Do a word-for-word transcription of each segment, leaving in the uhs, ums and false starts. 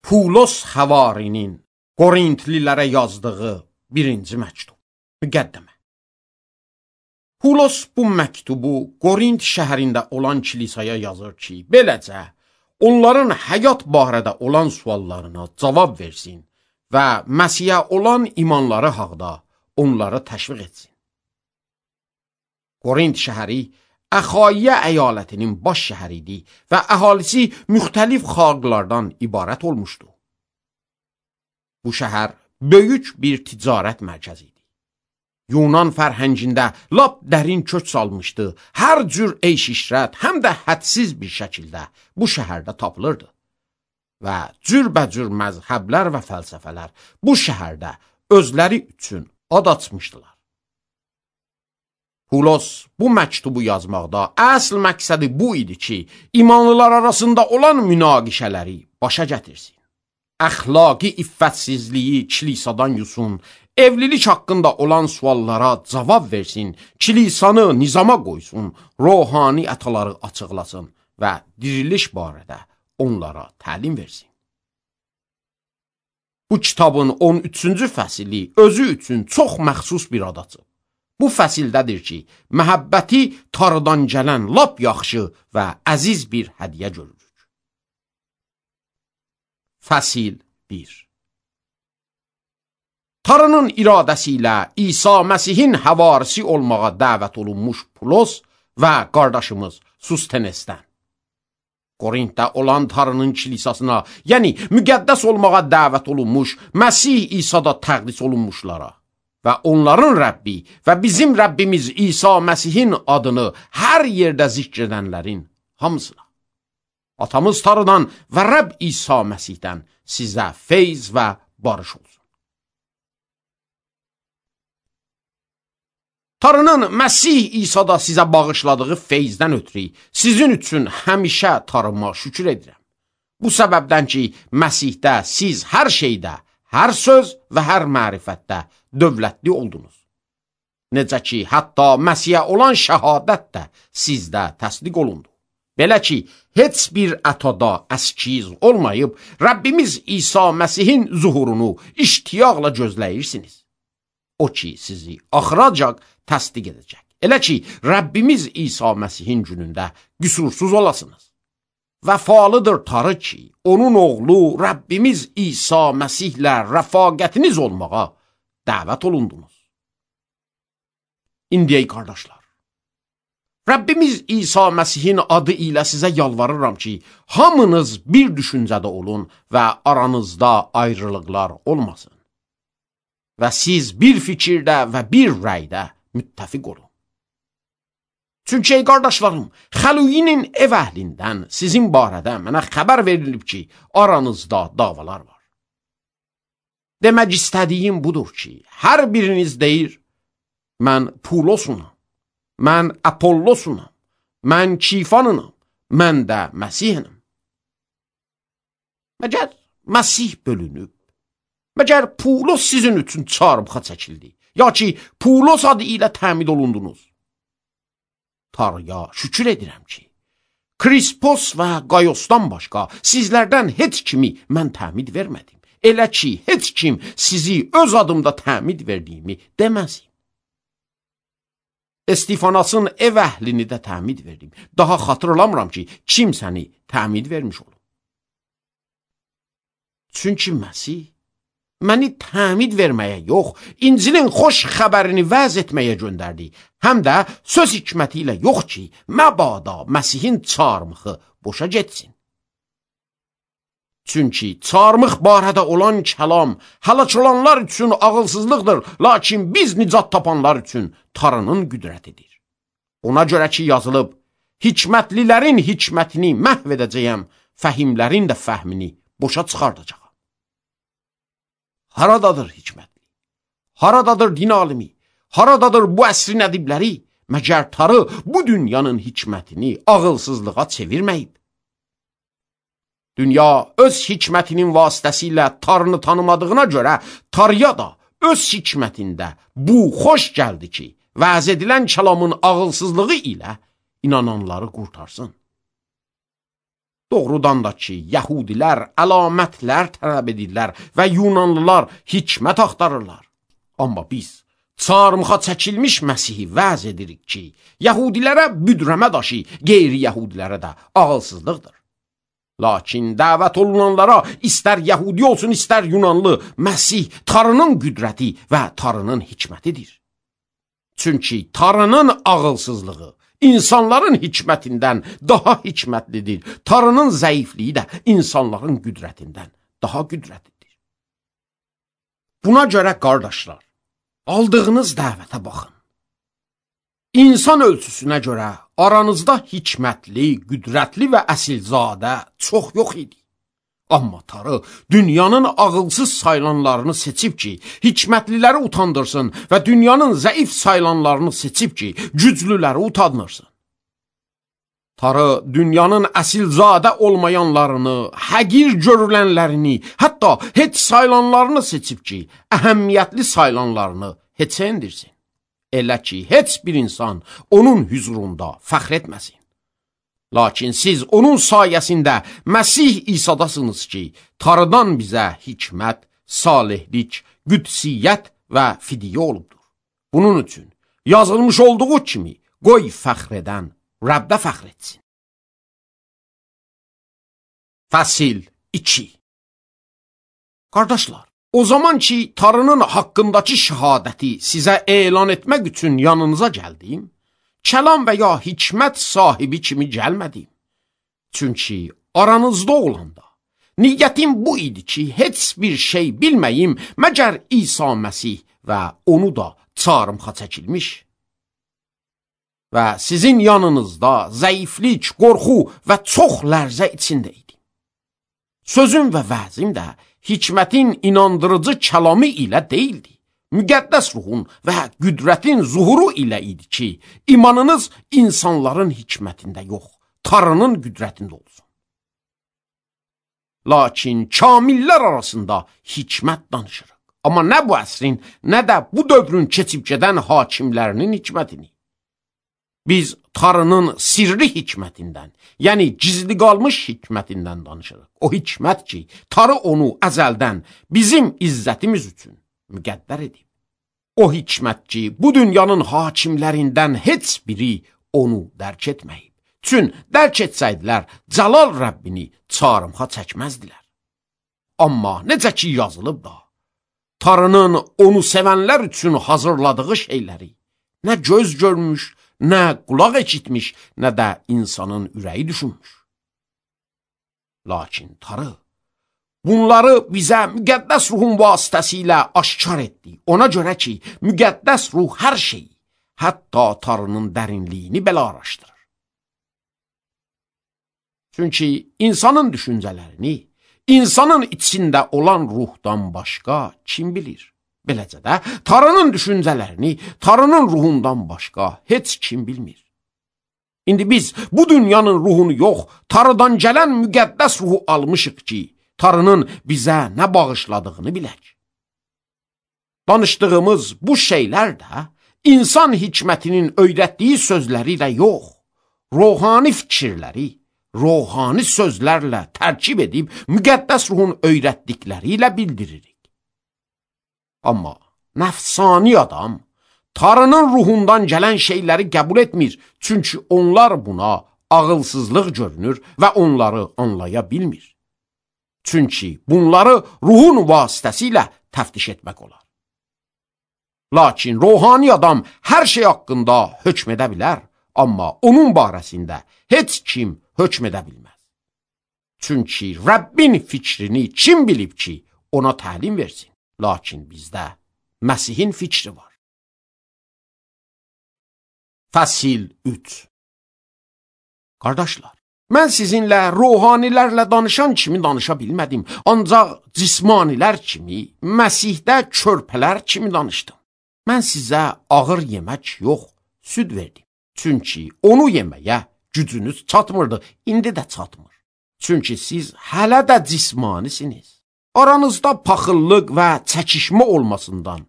Pulos Xəvarinin Qorintlilərə yazdığı birinci məktub. Müqəddimə. Pulos bu məktubu Qorint şəhərində olan kilisaya yazır ki, beləcə onların həyat barədə olan suallarına cavab versin və Məsihə olan imanları haqda onları təşviq etsin. Qorint şəhəri Əxaiyə əyalətinin baş şəhəri idi və əhalisi müxtəlif xalqlardan ibarət olmuşdu. Bu şəhər böyük bir ticarət mərkəzi idi. Yunan fərhəngində lap dərin kök salmışdı. Hər cür eyş-işrət həm də hədsiz bir şəkildə bu şəhərdə tapılırdı. Və cürbəcür məzhəblər və fəlsəfələr bu şəhərdə özləri üçün ad açmışdılar. Pulos bu məktubu yazmaqda əsl məqsədi bu idi ki, imanlılar arasında olan münaqişələri başa gətirsin. Əxlaqi iffətsizliyi kilisadan yusun, evlilik haqqında olan suallara cavab versin, kilisanı nizama qoysun, ruhani ətaları açıqlasın və diriliş barədə onlara təlim versin. Bu kitabın on üçüncü fəsili özü üçün çox məxsus bir ad açıb. Bu fəsildədir ki, məhəbbəti Tanrıdan gələn lap yaxşı və əziz bir hədiyyə görürük. Fəsil bir. Tanrının iradəsi ilə İsa Məsihin həvarisi olmağa dəvət olunmuş Pulos və qardaşımız Sustenesdən. Qorintdə olan Tanrının kilisasına, yəni müqəddəs olmağa dəvət olunmuş Məsih İsa'da təqdis olunmuşlara və onların Rəbbi və bizim Rəbbimiz İsa Məsihin adını hər yerdə zikr edənlərin hamısına. Atamız Tanrıdan və Rəbb İsa Məsihdən sizə feyz və barış olsun. Tanrının Məsih İsa'da sizə bağışladığı feyzdən ötürü sizin üçün həmişə Tanrıma şükür edirəm. Bu səbəbdən ki, Məsihdə siz hər şeydə, hər söz və hər mərifətdə dövlətli oldunuz. Necə ki, hətta Məsihə olan şəhadət də sizdə təsdiq olundu. Belə ki, heç bir ətada əskiz olmayıb, Rəbbimiz İsa Məsihin zuhurunu iştiyaqla gözləyirsiniz. O ki, sizi axıracaq təsdiq edəcək. Elə ki, Rəbbimiz İsa Məsihin günündə qüsursuz olasınız. Vəfalıdır Tanrı ki, onun oğlu Rəbbimiz İsa Məsihlə rəfaqətiniz olmağa dəvət olundunuz. İndi ey qardaşlar, Rəbbimiz İsa Məsihin adı ilə sizə yalvarıram ki, hamınız bir düşüncədə olun və aranızda ayrılıqlar olmasın. Və siz bir fikirdə və bir rəydə müttəfiq olun. Çünki ey qardaşlarım, Xəluyinin ev əhlindən sizin barədə mənə xəbər verilib ki, aranızda davalar var. Demək istədiyim budur ki, hər biriniz deyir, mən Pulosunam, mən Apollosunam, mən Kifanınam, mən də Məsihinəm. Məgər Məsih bölünüb, məgər Pulos sizin üçün çarmıxa çəkildi, ya ki, Pulos adı ilə təmid olundunuz. Tanrıya şükür edirəm ki, Krispos və Qayosdan başqa sizlərdən heç kimi mən təmid vermədim. Elə ki, heç kim sizi öz adımda təmid verdiyimi deməsin. Estifanasın ev əhlini də təmid verdim. Daha xatırlamıram ki, kim səni təmid vermiş olub. Çünki Məsih məni təmid verməyə yox, İncilin xoş xəbərini vəz etməyə göndərdi. Həm də söz hikməti ilə yox ki, məbada Məsihin çarmıxı boşa getsin. Çünki çarmıx barədə olan kəlam həlak olanlar üçün ağılsızlıqdır, lakin biz nicat tapanlar üçün Tanrının qüdrətidir. Ona görə ki, yazılıb, hikmətlilərin hikmətini məhv edəcəyəm, fəhimlərin də fəhmini boşa çıxardacaq. Haradadır hikmətli? Haradadır din alimi? Haradadır bu əsrin ədibləri? Məgər Tanrı bu dünyanın hikmətini ağılsızlığa çevirməyib. Dünya öz hikmətinin vasitəsilə Tanrını tanımadığına görə Tanrıya da öz hikmətində bu xoş gəldi ki, vəz edilən kəlamın ağılsızlığı ilə inananları qurtarsın. Doğrudan da ki, Yəhudilər əlamətlər tələb edirlər və Yunanlılar hikmət axtarırlar. Amma biz çarmıxa çəkilmiş Məsihi vəz edirik ki, Yəhudilərə büdrəmə daşı, qeyri-Yəhudilərə də ağılsızlıqdır. Lakin dəvət olunanlara istər Yəhudi olsun, istər Yunanlı, Məsih Tanrının qüdrəti və Tanrının hikmətidir. Çünki Tanrının ağılsızlığı İnsanların hikmətindən daha hikmətlidir. Tanrının zəifliyi də insanların qüdrətindən daha qüdrətlidir. Buna görə qardaşlar, aldığınız dəvətə baxın. İnsan ölçüsünə görə aranızda hikmətli, qüdrətli və əsilzadə çox yox idi. Amma Tanrı dünyanın ağılsız sayılanlarını seçib ki, hikmətliləri utandırsın və dünyanın zəif sayılanlarını seçib ki, güclüləri utandırsın. Tanrı dünyanın əsilzadə olmayanlarını, həqir görülənlərini, hətta heç sayılanlarını seçib ki, əhəmiyyətli sayılanlarını heç endirsin. Elə ki, heç bir insan onun hüzurunda fəxr etməsin. Lakin siz onun sayəsində Məsih İsadasınız ki, Tanrıdan bizə hikmət, salihlik, qüdsiyyət və fidiyyə olubdur. Bunun üçün yazılmış olduğu kimi qoy fəxr edən Rəbdə fəxr etsin. Fəsil iki. Qardaşlar, o zaman ki, Tanrının haqqındakı şəhadəti sizə elan etmək üçün yanınıza gəldim, kəlam və ya hikmət sahibi kimi gəlmədim. Çünki aranızda olanda, niyyətim bu idi ki, heç bir şey bilməyim, məgər İsa Məsih və onu da çarmıxa çəkilmiş. Və sizin yanınızda zəiflik, qorxu və çox lərzə içində idim. Sözüm və vəzim də hikmətin inandırıcı kəlamı ilə deyildi. Müqəddəs ruhun və qüdrətin zuhuru ilə idi ki, imanınız insanların hikmətində yox, Tanrının qüdrətində olsun. Lakin kamillər arasında hikmət danışırıq. Amma nə bu əsrin, nə də bu dövrün keçib gedən hakimlərinin hikmətini. Biz Tanrının sirri hikmətindən, yəni gizli qalmış hikmətindən danışırıq. O hikmət ki, Tanrı onu əzəldən bizim izzətimiz üçün müqəddər edib. O hikmət ki, bu dünyanın hakimlərindən heç biri onu dərk etməyib. Çün dərk etsəydilər, Cəlal Rəbbini çarmıxa çəkməzdilər. Amma necə ki yazılıb da, Tanrının onu sevənlər üçün hazırladığı şeyləri nə göz görmüş, nə qulaq eşitmiş, nə də insanın ürəyi düşünmüş. Lakin Tanrı bunları bizə müqəddəs ruhun vasitəsilə aşkar etdi. Ona görə ki, müqəddəs ruh hər şeyi, hətta Tanrının dərinliyini belə araşdırır. Çünki insanın düşüncələrini, insanın içində olan ruhdan başqa kim bilir? Beləcə də, Tanrının düşüncələrini, Tanrının ruhundan başqa heç kim bilmir. İndi biz bu dünyanın ruhunu yox, Tanrıdan gələn müqəddəs ruhu almışıq ki, Tanrının bizə nə bağışladığını bilək. Danışdığımız bu şeylər də insan hikmətinin öyrətdiyi sözləri ilə yox, ruhani fikirləri, ruhani sözlərlə tərkib edib müqəddəs ruhun öyrətdikləri ilə bildiririk. Amma nəfsani adam Tanrının ruhundan gələn şeyləri qəbul etmir, çünki onlar buna ağılsızlıq görünür və onları anlaya bilmir. Çünki bunları ruhun vasitəsilə təftiş etmək olar. Lakin ruhani adam hər şey haqqında hökm edə bilər, amma onun barəsində heç kim hökm edə bilməz. Çünki Rəbbin fikrini kim bilib ki, ona təlim versin? Lakin bizdə Məsihin fikri var. Fəsil üç. Qardaşlar, mən sizinlə ruhanilərlə danışan kimi danışa bilmədim, ancaq cismanilər kimi, Məsihdə körpələr kimi danışdım. Mən sizə ağır yemək yox, süd verdim. Çünki onu yeməyə gücünüz çatmırdı, indi də çatmır. Çünki siz hələ də cismanisiniz. Aranızda paxıllıq və çəkişmə olmasından,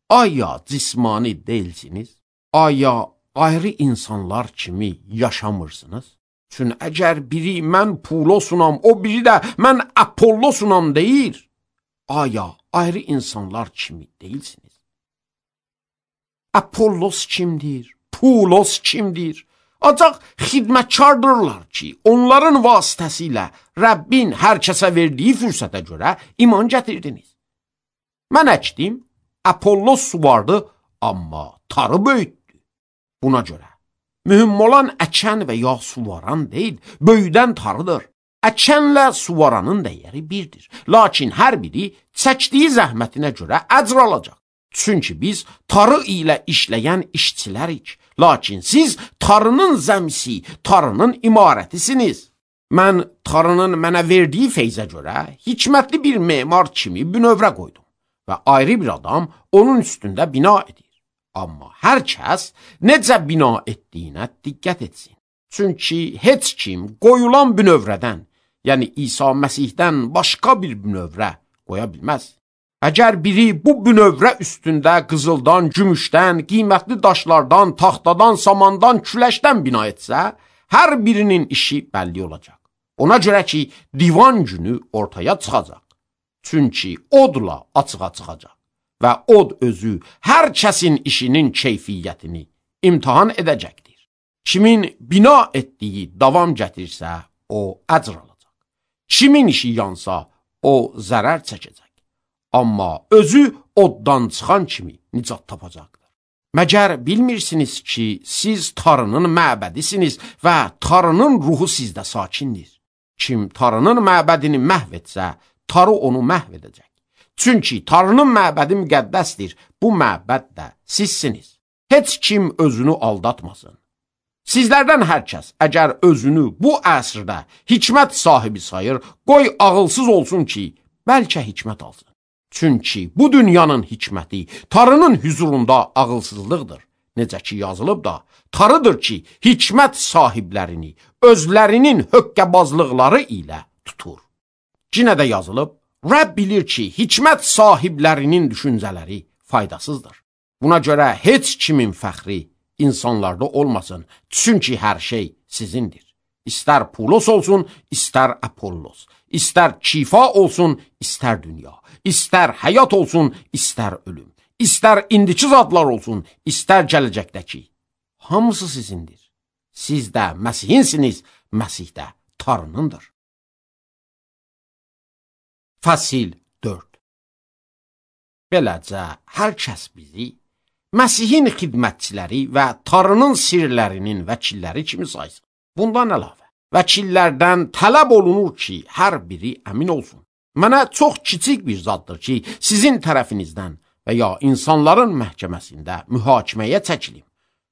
aya cismani deyilsiniz, aya ayrı insanlar kimi yaşamırsınız. Çün əgər biri mən Pulosunam, o biri də mən Apollosunam deyir, aya ayrı insanlar kimi deyilsiniz? Apollos kimdir? Pulos kimdir? Ancaq xidmətkardırlar ki, onların vasitəsilə Rəbbin hər kəsə verdiyi fürsətə görə iman gətirdiniz. Mən əkdim, Apollos suvardı, amma tarı böyütdü. Buna görə mühüm olan əkən və ya suvaran deyil, böyüdən tarıdır. Əkənlə suvaranın dəyəri birdir. Lakin hər biri çəkdiyi zəhmətinə görə əcr alacaq. Çünki biz tarı ilə işləyən işçilərik. Lakin siz tarının zəmsi, tarının imarətisiniz. Mən tarının mənə verdiyi feyzə görə hikmətli bir memar kimi bünövrə qoydum və ayrı bir adam onun üstündə bina edir. Amma hər kəs necə bina etdiyinə diqqət etsin. Çünki heç kim qoyulan bünövrədən, yəni İsa Məsihdən başqa bir bünövrə qoya bilməz. Əgər biri bu bünövrə üstündə qızıldan, gümüşdən, qiymətli daşlardan, taxtadan, samandan, küləşdən bina etsə, hər birinin işi bəlli olacaq. Ona görə ki, divan günü ortaya çıxacaq. Çünki odla açığa çıxacaq və od özü hər kəsin işinin keyfiyyətini imtihan edəcəkdir. Kimin bina etdiyi davam gətirsə, o əcr alacaq. Kimin işi yansa, o zərər çəkəcək. Amma özü oddan çıxan kimi nicat tapacaqdır. Məgər bilmirsiniz ki, siz tarının məbədisiniz və tarının ruhu sizdə sakindir. Kim tarının məbədini məhv etsə, tarı onu məhv edəcək. Çünki tarının məbədi müqəddəsdir, bu məbəd də sizsiniz. Heç kim özünü aldatmasın. Sizlərdən hər kəs əgər özünü bu əsrdə hikmət sahibi sayır, qoy ağılsız olsun ki, bəlkə hikmət alsın. Çünki bu dünyanın hikməti tarının hüzurunda ağılsızlıqdır. Necə ki yazılıb da, tarıdır ki, hikmət sahiblərini özlərinin höqqəbazlıqları ilə tutur. Cinə də yazılıb, Rəbb bilir ki, hikmət sahiblərinin düşüncələri faydasızdır. Buna görə heç kimin fəxri insanlarda olmasın, çünki hər şey sizindir. İstər Pulos olsun, istər Apollos, istər şifa olsun, istər dünya, istər həyat olsun, istər ölüm, istər indiki zadlar olsun, istər gələcəkdəki. Hamısı sizindir. Siz də Məsihinsiniz, Məsih də tarınındır. Fəsil dörd. Beləcə, hər kəs bizi Məsihin xidmətçiləri və tarının sirlərinin vəkilləri kimi saysın. Bundan əlavə, vəkillərdən tələb olunur ki, hər biri əmin olsun. Mənə çox kiçik bir zaddır ki, sizin tərəfinizdən və ya insanların məhkəməsində mühakiməyə çəkilim.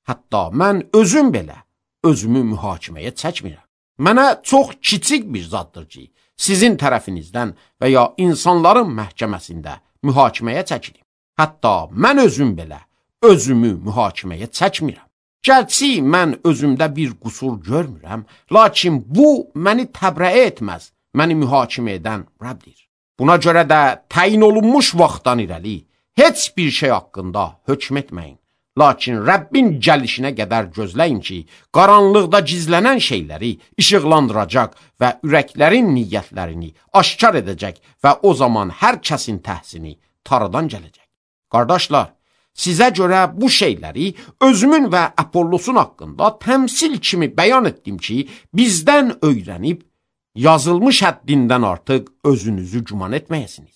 Hətta mən özüm belə özümü mühakiməyə çəkmirəm. Mənə çox kiçik bir zaddır ki, sizin tərəfinizdən və ya insanların məhkəməsində mühakiməyə çəkilim. Hətta mən özüm belə özümü mühakiməyə çəkmirəm. Gərçi mən özümdə bir qüsur görmürəm, lakin bu məni təbrəə etməz, məni mühakimə edən Rəbdir. Buna görə də təyin olunmuş vaxtdan irəli heç bir şey haqqında hökm etməyin. Lakin Rəbbin gəlişinə qədər gözləyin ki, qaranlıqda gizlənən şeyləri işıqlandıracaq və ürəklərin niyyətlərini aşkar edəcək və o zaman hər kəsin təhsini tarıdan gələcək. Qardaşlar, sizə görə bu şeyləri özümün və Apollosun haqqında təmsil kimi bəyan etdim ki, bizdən öyrənib, yazılmış həddindən artıq özünüzü güman etməyəsiniz.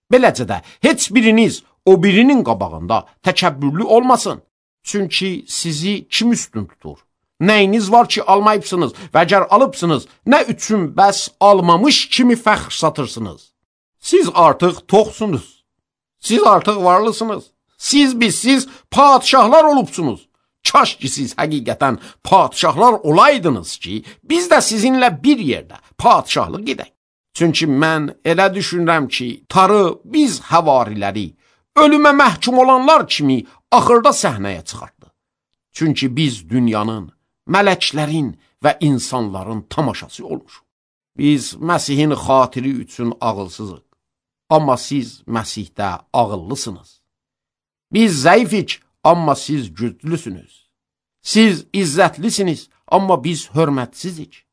Beləcə də heç biriniz o birinin qabağında təkəbbürlü olmasın. Çünki sizi kim üstün tutur? Nəyiniz var ki, almayıbsınız və əgər alıbsınız, nə üçün bəs almamış kimi fəxr satırsınız? Siz artıq toxsunuz. Siz artıq varlısınız. Siz bizsiz padişahlar olubsunuz. Kaş ki siz həqiqətən padişahlar olaydınız ki, biz də sizinlə bir yerdə padişahlıq edək. Çünki mən elə düşünürəm ki, tarı biz həvariləri, ölümə məhkum olanlar kimi axırda səhnəyə çıxartdı. Çünki biz dünyanın, mələklərin və insanların tamaşası olmuşuq. Biz Məsihin xatiri üçün ağılsızıq, amma siz Məsihdə ağıllısınız. Biz zəifik, amma siz güclüsünüz. Siz izzətlisiniz, amma biz hörmətsizik.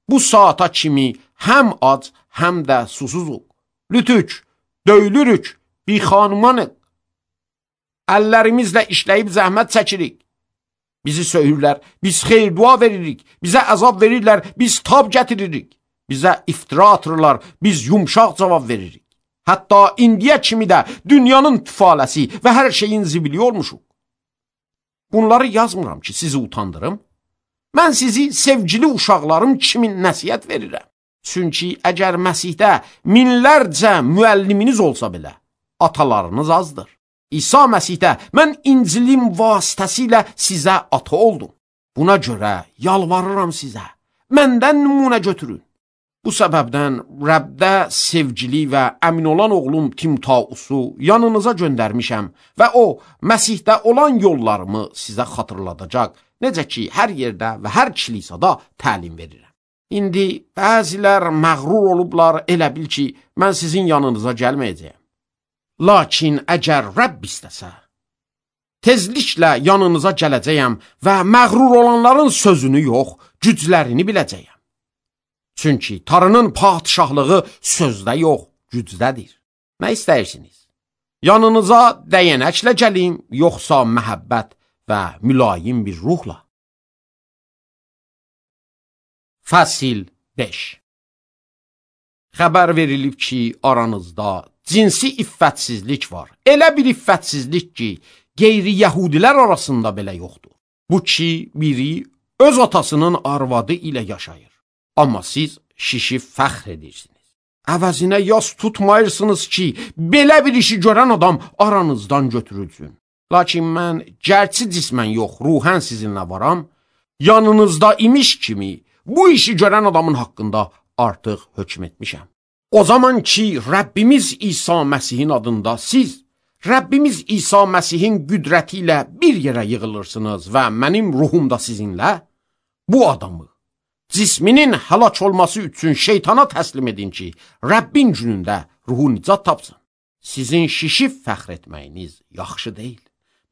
bu saata kimi həm ac, həm də susuzuq. Lütük, döyülürük, bir xanımanıq. Əllərimizlə işləyib zəhmət çəkirik. Bizi söyürlər, biz xeyir dua veririk. Bizə əzab verirlər, biz tab gətiririk. Bizə iftira atırlar, biz yumşaq cavab veririk. Hətta indiyə kimi də dünyanın tüfaləsi və hər şeyin zibili olmuşuq. Bunları yazmıram ki, sizi utandırım. Mən sizi sevgili uşaqlarım kimi nəsihət verirəm. Çünki əgər Məsihdə minlərcə müəlliminiz olsa belə, atalarınız azdır. İsa Məsihdə mən İncilim vasitəsilə sizə ata oldum. Buna görə yalvarıram sizə, məndən nümunə götürün. Bu səbəbdən Rəbdə sevgili və əmin olan oğlum Timotausu yanınıza göndərmişəm və o, Məsihdə olan yollarımı sizə xatırladacaq, necə ki, hər yerdə və hər kilisada təlim verirəm. İndi bəzilər məğrur olublar, elə bil ki, mən sizin yanınıza gəlməyəcəyəm. Lakin əgər Rəbb istəsə, tezliklə yanınıza gələcəyəm və məğrur olanların sözünü yox, güclərini biləcəyəm. Çünki Tanrının padişahlığı sözdə yox, gücdədir. Nə istəyirsiniz? Yanınıza dəyənəklə gəlim, yoxsa məhəbbət və mülayim bir ruhla? Fəsil beş. Xəbər verilib ki, aranızda cinsi iffətsizlik var. Elə bir iffətsizlik ki, qeyri-yəhudilər arasında belə yoxdur. Bu ki, biri öz atasının arvadı ilə yaşayır. Amma siz şişib fəxr edirsiniz. Əvəzinə yas tutmayırsınız ki, belə bir işi görən adam aranızdan götürülsün. Lakin mən gərçi cismən yox, ruhən sizinlə varam, yanınızda imiş kimi bu işi görən adamın haqqında artıq hökm etmişəm. O zaman ki, Rəbbimiz İsa Məsihin adında siz, Rəbbimiz İsa Məsihin qüdrəti ilə bir yerə yığılırsınız və mənim ruhum da sizinlə, bu adamı cisminin həlak olması üçün şeytana təslim edin ki, Rəbbin günündə ruhu nicat tapsın. Sizin şişib fəxr etməyiniz yaxşı deyil.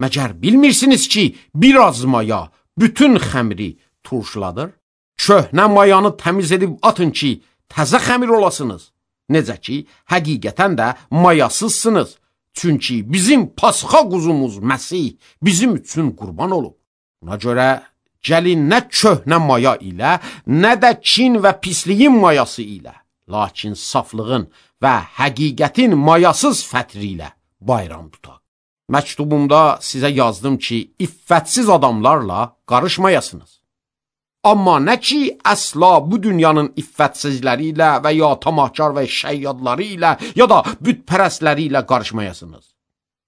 Məgər bilmirsiniz ki, biraz maya bütün xəmiri turşladır? Köhnə mayanı təmiz edib atın ki, təzə xəmir olasınız. Necə ki, həqiqətən də mayasızsınız. Çünki bizim pasxa quzumuz Məsih bizim üçün qurban olub. Buna görə gəlin nə köhnə maya ilə, nə də kin və pisliyin mayası ilə, lakin saflığın və həqiqətin mayasız fətri ilə bayram tutaq. Məktubumda sizə yazdım ki, iffətsiz adamlarla qarışmayasınız. Amma nə ki, əsla bu dünyanın iffətsizləri ilə və ya tamahkar və şəyyadları ilə ya da bütpərəstləri ilə qarışmayasınız.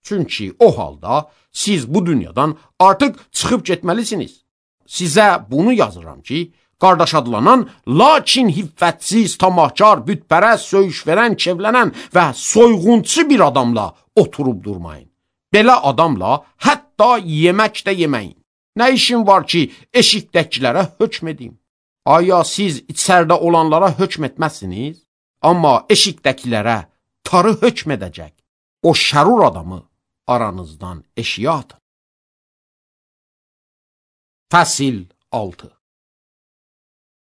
Çünki o halda siz bu dünyadan artıq çıxıb getməlisiniz. Sizə bunu yazıram ki, qardaş adlanan, lakin hiffətsiz, tamahkar, bütpərəst, söyüş verən, kevlənən və soyğunçu bir adamla oturub durmayın. Belə adamla hətta yemək də yeməyin. Nə işin var ki, eşikdəkilərə hökm edeyim? Aya siz içərdə olanlara hökm etməzsiniz? Amma eşikdəkilərə tarı hökm edəcək. O şərur adamı aranızdan eşiyə atın. Fəsil altı.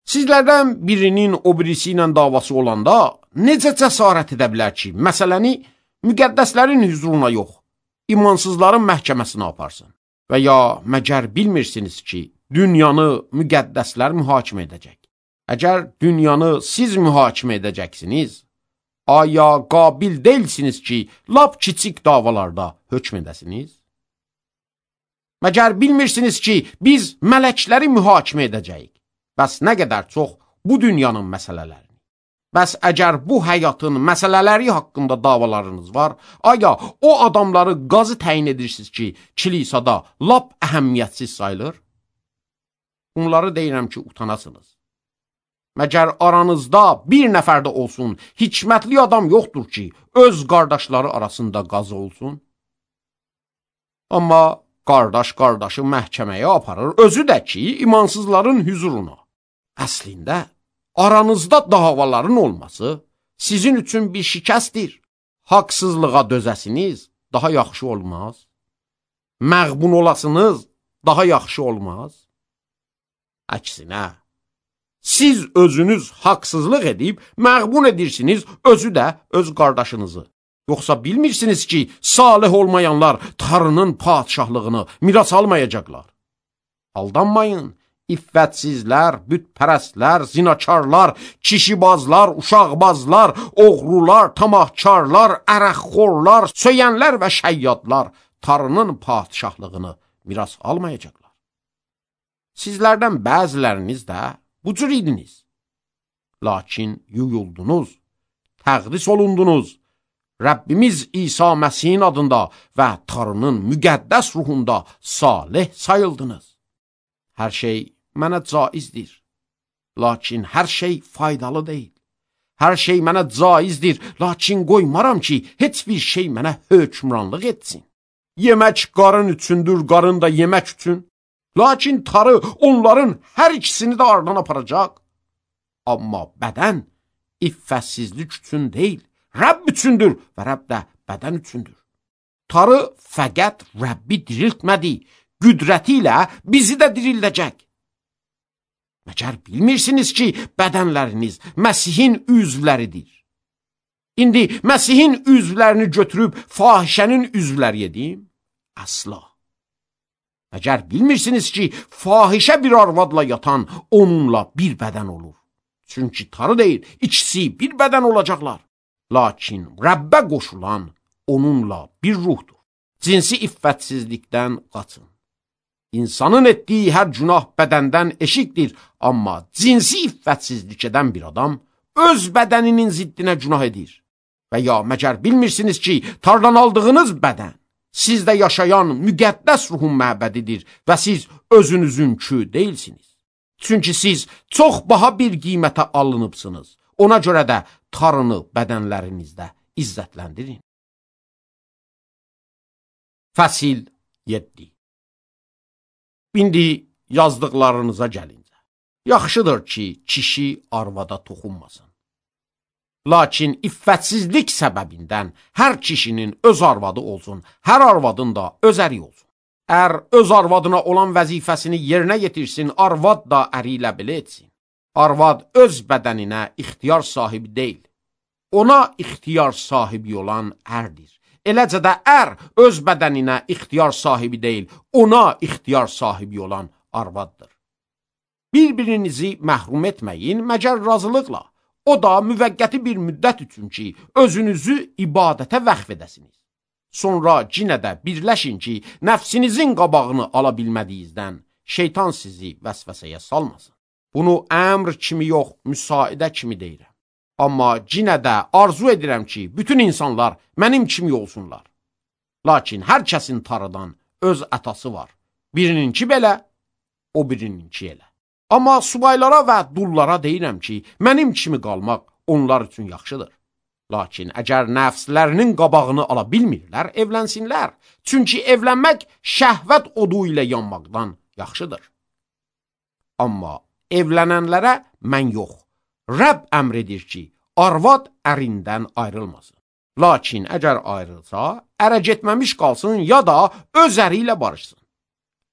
Sizlərdən birinin o birisi ilə davası olanda necə cəsarət edə bilər ki, məsələni müqəddəslərin hüzuruna yox, imansızların məhkəməsinə aparsın? Və ya məgər bilmirsiniz ki, dünyanı müqəddəslər mühakimə edəcək? Əgər dünyanı siz mühakimə edəcəksiniz, aya qabil deyilsiniz ki, lap kiçik davalarda hökm edəsiniz? Məgər bilmirsiniz ki, biz mələkləri mühakimə edəcəyik? Bəs nə qədər çox bu dünyanın məsələlərini? Bəs əgər bu həyatın məsələləri haqqında davalarınız var, aya o adamları qazı təyin edirsiniz ki, kilisada lap əhəmiyyətsiz sayılır? Bunları deyirəm ki, utanasınız. Məgər aranızda bir nəfər də olsun, hikmətli adam yoxdur ki, öz qardaşları arasında qazı olsun? Amma qardaş qardaşı məhkəməyə aparır, özü də ki, imansızların hüzuruna. Əslində, aranızda davaların olması sizin üçün bir şikəstdir. Haqsızlığa dözəsiniz, daha yaxşı olmaz. Məğbun olasınız, daha yaxşı olmaz. Əksinə, Siz özünüz haqsızlıq edib, məğbun edirsiniz özü də öz qardaşınızı. Yoxsa bilmirsiniz ki, salih olmayanlar Tanrının padişahlığını miras almayacaqlar. Aldanmayın, iffətsizlər, bütpərəstlər, zinakarlar, kişibazlar, uşaqbazlar, oğrular, tamahkarlar, ərəxxorlar, söyənlər və şəyyadlar Tanrının padişahlığını miras almayacaqlar. Sizlərdən bəziləriniz də bu cür idiniz. Lakin yuyuldunuz, təqdis olundunuz. Rəbbimiz İsa Məsihin adında və Tanrının müqəddəs ruhunda salih sayıldınız. Hər şey mənə caizdir, lakin hər şey faydalı deyil. Hər şey mənə caizdir, lakin qoymaram ki, heç bir şey mənə hökmranlıq etsin. Yemək qarın üçündür, qarın da yemək üçün. Lakin Tanrı onların hər ikisini də aradan aparacaq. Amma bədən iffətsizlik üçün deyil, Rəbb üçündür və Rəbb də bədən üçündür. Tanrı fəqət Rəbbi diriltmədi, qüdrəti ilə bizi də dirildəcək. Məcər bilmirsiniz ki, bədənləriniz Məsihin üzvləridir. İndi Məsihin üzvlərini götürüb fahişənin üzvləri edim? Əsla. Məcər bilmirsiniz ki, fahişə bir arvadla yatan onunla bir bədən olur. Çünki Tanrı deyir, ikisi bir bədən olacaqlar. Lakin Rəbbə qoşulan onunla bir ruhdur. Cinsi iffətsizlikdən qaçın. İnsanın etdiyi hər günah bədəndən eşikdir, amma cinsi iffətsizlik edən bir adam öz bədəninin ziddinə günah edir. Və ya məcər bilmirsiniz ki, Tanrıdan aldığınız bədən sizdə yaşayan müqəddəs ruhun məbədidir və siz özünüzünkü deyilsiniz. Çünki siz çox baha bir qiymətə alınıbsınız. Ona görə də Tanrını bədənlərinizdə izzətləndirin. Fəsil yeddi. İndi yazdıqlarınıza gəlincə. Yaxşıdır ki, kişi arvada toxunmasın. Lakin iffətsizlik səbəbindən hər kişinin öz arvadı olsun, hər arvadın da öz əri olsun. Ər öz arvadına olan vəzifəsini yerinə yetirsin, arvad da əri ilə belə etsin. Arvad öz bədəninə ixtiyar sahibi deyil. Ona ixtiyar sahibi olan ərdir. Eləcə də ər öz bədəninə ixtiyar sahibi deyil, ona ixtiyar sahibi olan arvaddır. Bir-birinizi məhrum etməyin, məgər razılıqla. O da müvəqqəti bir müddət üçün ki, özünüzü ibadətə vəqf edəsiniz. Sonra cinə də birləşin ki, nəfsinizin qabağını ala bilmədiyinizdən şeytan sizi vəsvəsəyə salmasın. Bunu əmr kimi yox, müsaidə kimi deyirəm. Amma cinə də arzu edirəm ki, bütün insanlar mənim kimi olsunlar. Lakin hər kəsin Tanrıdan öz ətası var. Birininki belə, o birininki elə. Amma subaylara və dullara deyirəm ki, mənim kimi qalmaq onlar üçün yaxşıdır. Lakin əgər nəfslərinin qabağını ala bilmirlər, evlənsinlər. Çünki evlənmək şəhvət odu ilə yanmaqdan yaxşıdır. Amma evlənənlərə mən yox, Rəbb əmr edir ki, arvad ərindən ayrılmasın. Lakin əgər ayrılsa, ərə getməmiş qalsın ya da öz əri ilə barışsın.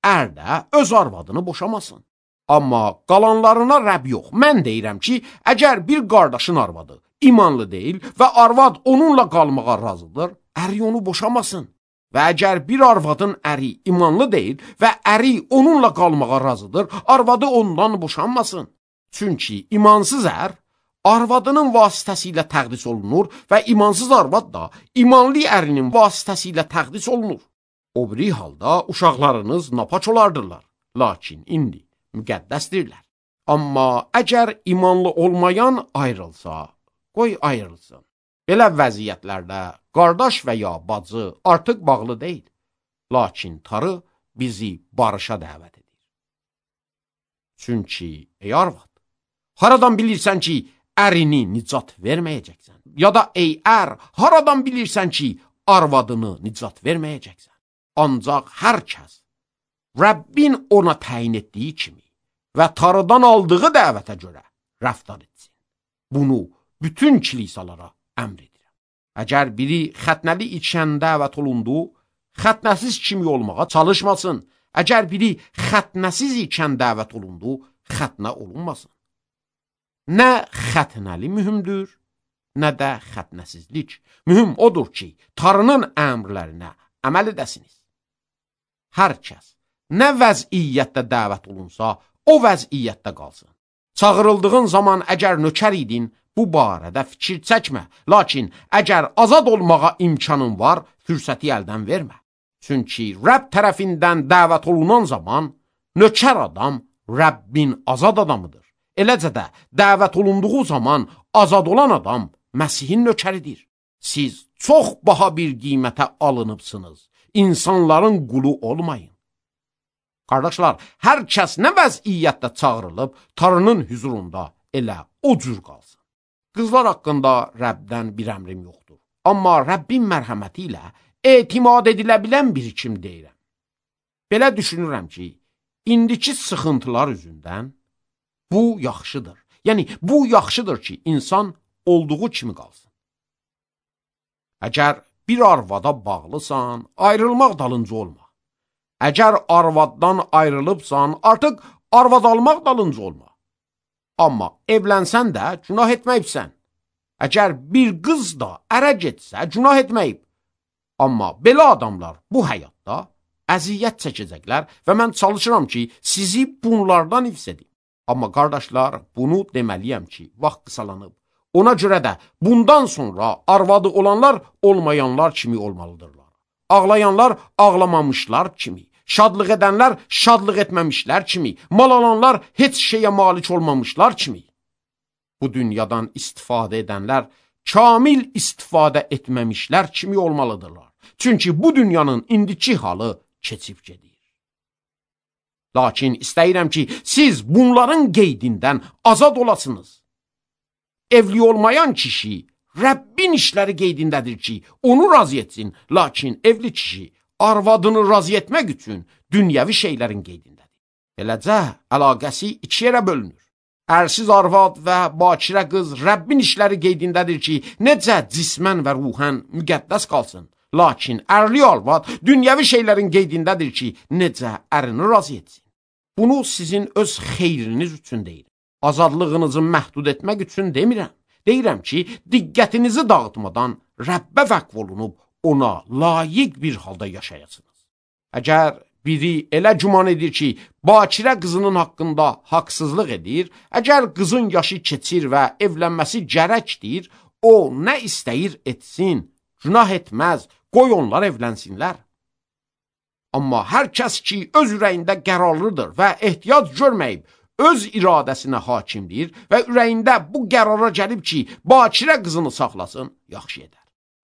Ər də öz arvadını boşamasın. Amma qalanlarına Rəbb yox. Mən deyirəm ki, əgər bir qardaşın arvadı imanlı deyil və arvad onunla qalmağa razıdır, əri onu boşamasın. Və əgər bir arvadın əri imanlı deyil və əri onunla qalmağa razıdır, arvadı ondan boşanmasın. Çünki imansız ər arvadının vasitəsilə təqdis olunur və imansız arvad da imanlı ərinin vasitəsilə təqdis olunur. O biri halda uşaqlarınız napaç olardırlar. Lakin indi müqəddəsdirlər. Amma əgər imanlı olmayan ayrılsa, qoy ayrılsın. Belə vəziyyətlərdə qardaş və ya bacı artıq bağlı deyil. Lakin Tanrı bizi barışa dəvət edir. Çünki ey arvad, haradan bilirsən ki, ərini nicat verməyəcəksən? Ya da ey ər, haradan bilirsən ki, arvadını nicat verməyəcəksən? Ancaq hər kəs Rəbbin ona təyin etdiyi kimi və Tanrıdan aldığı dəvətə görə rəftar etsin. Bunu bütün kilisalara əmr edirəm. Əgər biri xətnəli içən dəvət olundu, xətnəsiz kimi olmağa çalışmasın. Əgər biri xətnəsiz ikən dəvət olundu, xətnə olunmasın. Nə xətnəli mühümdür, nə də xətnəsizlik. Mühüm odur ki, Tanrının əmrlərinə əməl edəsiniz. Hər kəs nə vəziyyətdə dəvət olunsa, o vəziyyətdə qalsın. Çağırıldığın zaman əgər nökər idin, bu barədə fikir çəkmə. Lakin əgər azad olmağa imkanın var, fürsəti əldən vermə. Çünki Rəbb tərəfindən dəvət olunan zaman, nökər adam Rəbbin azad adamıdır. Eləcə də dəvət olunduğu zaman azad olan adam Məsihin nökəridir. Siz çox baha bir qiymətə alınıbsınız. İnsanların qulu olmayın. Qardaşlar, hər kəs nə vəziyyətdə çağırılıb, Tanrının hüzurunda elə o cür qalsın. Qızlar haqqında Rəbdən bir əmrim yoxdur. Amma Rəbbin mərhəməti ilə etimad edilə bilən bir kim deyirəm. Belə düşünürəm ki, indiki sıxıntılar üzündən bu yaxşıdır. Yəni, bu yaxşıdır ki, insan olduğu kimi qalsın. Əgər bir arvada bağlısan, ayrılmaq dalınca olma. Əgər arvaddan ayrılıbsan, artıq arvad almaq dalınca olma. Amma evlənsən də günah etməyibsən. Əgər bir qız da ərə getsə, günah etməyib. Amma belə adamlar bu həyatda əziyyət çəkəcəklər və mən çalışıram ki, sizi bunlardan hifz edim. Amma qardaşlar, bunu deməliyəm ki, vaxt qısalanıb. Ona görə də bundan sonra arvadı olanlar olmayanlar kimi olmalıdırlar. Ağlayanlar ağlamamışlar kimi, şadlıq edənlər şadlıq etməmişlər kimi, mal alanlar heç şeyə malik olmamışlar kimi. Bu dünyadan istifadə edənlər kamil istifadə etməmişlər kimi olmalıdırlar. Çünki bu dünyanın indiki halı keçib gedir. Lakin istəyirəm ki, siz bunların qeydindən azad olasınız. Evli olmayan kişi Rəbbin işləri qeydindədir ki, onu razı etsin. Lakin evli kişi arvadını razı etmək üçün dünyəvi şeylərin qeydindədir. Beləcə, əlaqəsi iki yerə bölünür. Ərsiz arvad və bakirə qız Rəbbin işləri qeydindədir ki, necə cismən və ruhən müqəddəs qalsın. Lakin ərli arvad dünyəvi şeylərin qeydindədir ki, necə ərini razı etsin. Bunu sizin öz xeyriniz üçün deyirəm. Azadlığınızı məhdud etmək üçün demirəm. Deyirəm ki, diqqətinizi dağıtmadan Rəbbə vəqf olunub ona layiq bir halda yaşayasınız. Əgər biri elə güman edir ki, bakirə qızının haqqında haqsızlıq edir, əgər qızın yaşı keçir və evlənməsi gərəkdir, o nə istəyir etsin, günah etməz, qoy onlar evlənsinlər. Amma hər kəs ki, öz ürəyində qərarlıdır və ehtiyac görməyib, öz iradəsinə hakimdir və ürəyində bu qərara gəlib ki, bakirə qızını saxlasın, yaxşı edər.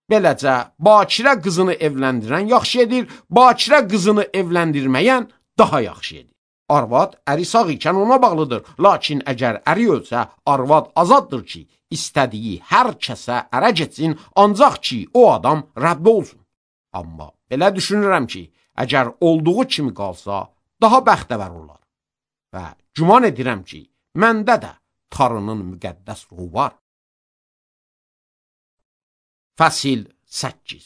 Beləcə, bakirə qızını evləndirən yaxşı edir, bakirə qızını evləndirməyən daha yaxşı edir. Arvad əri sağ ikən ona bağlıdır, lakin əgər əri ölsə, arvad azaddır ki, istədiyi hər kəsə ərə getsin, ancaq ki, o adam Rəbbə olsun. Amma belə düşünürəm ki, əgər olduğu kimi qalsa, daha bəxtəvər olar. Və güman edirəm ki, məndə də Tanrının müqəddəs ruhu var. Fəsil səkkiz.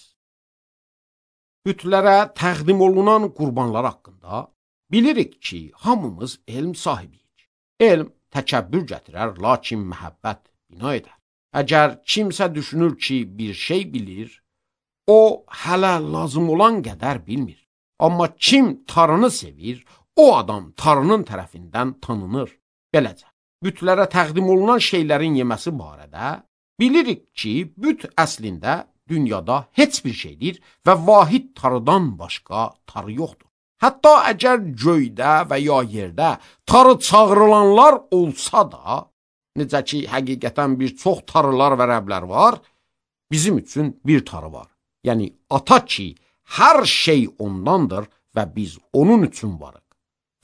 Bütlərə təqdim olunan qurbanlar haqqında bilirik ki, hamımız elm sahibiyik. Elm təkəbbür gətirər, lakin məhəbbət bina edər. Əgər kimsə düşünür ki, bir şey bilir, o hələ lazım olan qədər bilmir. Amma kim Tanrını sevir, o adam Tanrının tərəfindən tanınır. Beləcə, bütlərə təqdim olunan şeylərin yeməsi barədə bilirik ki, büt əslində dünyada heç bir şeydir və vahid Tanrıdan başqa Tanrı yoxdur. Hətta əgər göydə və ya yerdə Tanrı çağırılanlar olsa da, necə ki, həqiqətən bir çox Tanrılar və Rəblər var, bizim üçün bir Tanrı var. Yəni, ata ki, hər şey ondandır və biz onun üçün varıq.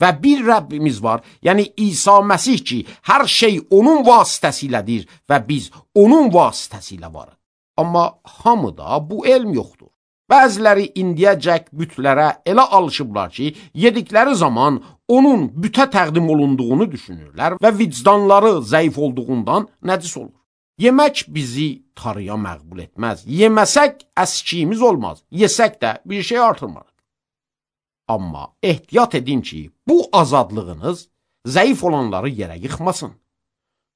Və bir Rəbbimiz var, yəni İsa Məsih ki, hər şey onun vasitəsilədir və biz onun vasitəsilə varıq. Amma hamıda bu elm yoxdur. Bəziləri indiyəcək bütlərə elə alışıblar ki, yedikləri zaman onun bütə təqdim olunduğunu düşünürlər və vicdanları zəif olduğundan nəcis olur. Yemək bizi Tanrıya məqbul etməz. Yeməsək əskiyimiz olmaz. Yesək də bir şey artırmarıq. Amma ehtiyat edin ki, bu azadlığınız zəif olanları yerə yıxmasın.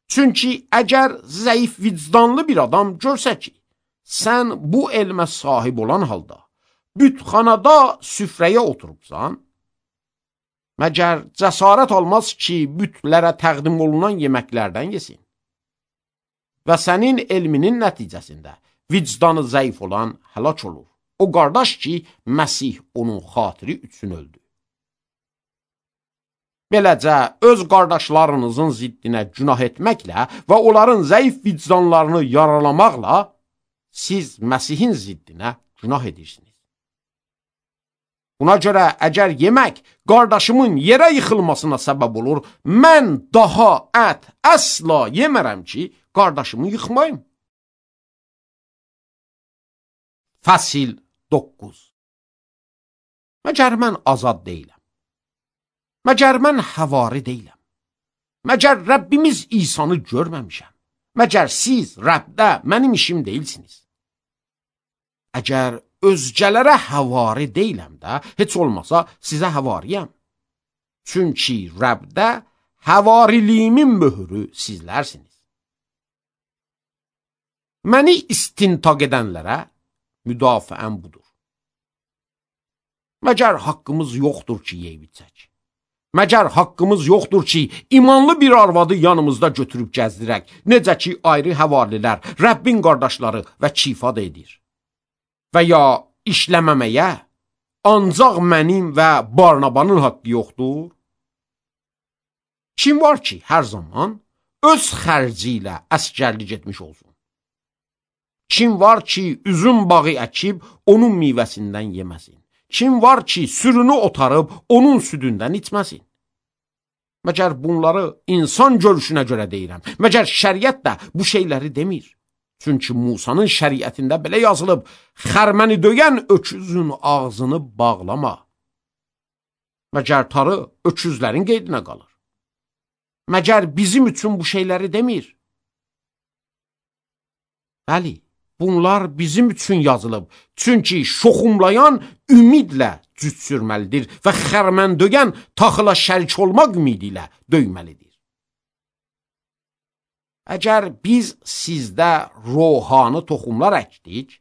Çünki əgər zəif vicdanlı bir adam görsə ki, sən bu elmə sahib olan halda bütxanada süfrəyə oturubsan, məgər cəsarət olmaz ki, bütlərə təqdim olunan yeməklərdən yesin və sənin elminin nəticəsində vicdanı zəif olan həlak olur. O qardaş ki, Məsih onun xatiri üçün öldü. Beləcə, öz qardaşlarınızın ziddinə günah etməklə və onların zəif vicdanlarını yaralamaqla siz Məsihin ziddinə günah edirsiniz. Buna görə, əgər yemək qardaşımın yerə yıxılmasına səbəb olur, mən daha ət əsla yemərəm ki, qardaşımı yıxmayım. Fəsil doqquz. Məgər mən azad deyiləm? Məgər mən həvari deyiləm? Məgər Rəbbimiz İsanı görməmişəm? Məgər siz Rəbdə mənim işim deyilsiniz? Əgər özgələrə həvari deyiləm də, heç olmasa sizə həvariyəm. Çünki Rəbdə həvariliyimin möhürü sizlərsiniz. Məni istintaq edənlərə müdafiəm budur. Məgər haqqımız yoxdur ki, yeyib içək? Məgər haqqımız yoxdur ki, imanlı bir arvadı yanımızda götürüb gəzdirək, necə ki, ayrı həvarilər, Rəbbin qardaşları və kifad edir. Və ya işləməməyə ancaq mənim və Barnabanın haqqı yoxdur? Kim var ki, hər zaman öz xərci ilə əsgərlik etmiş olsun? Kim var ki, üzüm bağı əkib, onun meyvəsindən yeməsin? Kim var ki, sürünü otarıb, onun südündən içməsin? Məgər bunları insan görüşünə görə deyirəm. Məgər şəriət də bu şeyləri demir. Çünki Musanın şəriətində belə yazılıb, xərməni döyən öküzün ağzını bağlama. Məgər tarı öküzlərin qeydinə qalır. Məgər bizim üçün bu şeyləri demir. Bəli, bunlar bizim üçün yazılıb. Çünki şoxumlayan ümidlə cüt sürməlidir və xərmən döyən taxıla şərik olmaq ümidi ilə döyməlidir. Əgər biz sizdə ruhani toxumlar əkdik,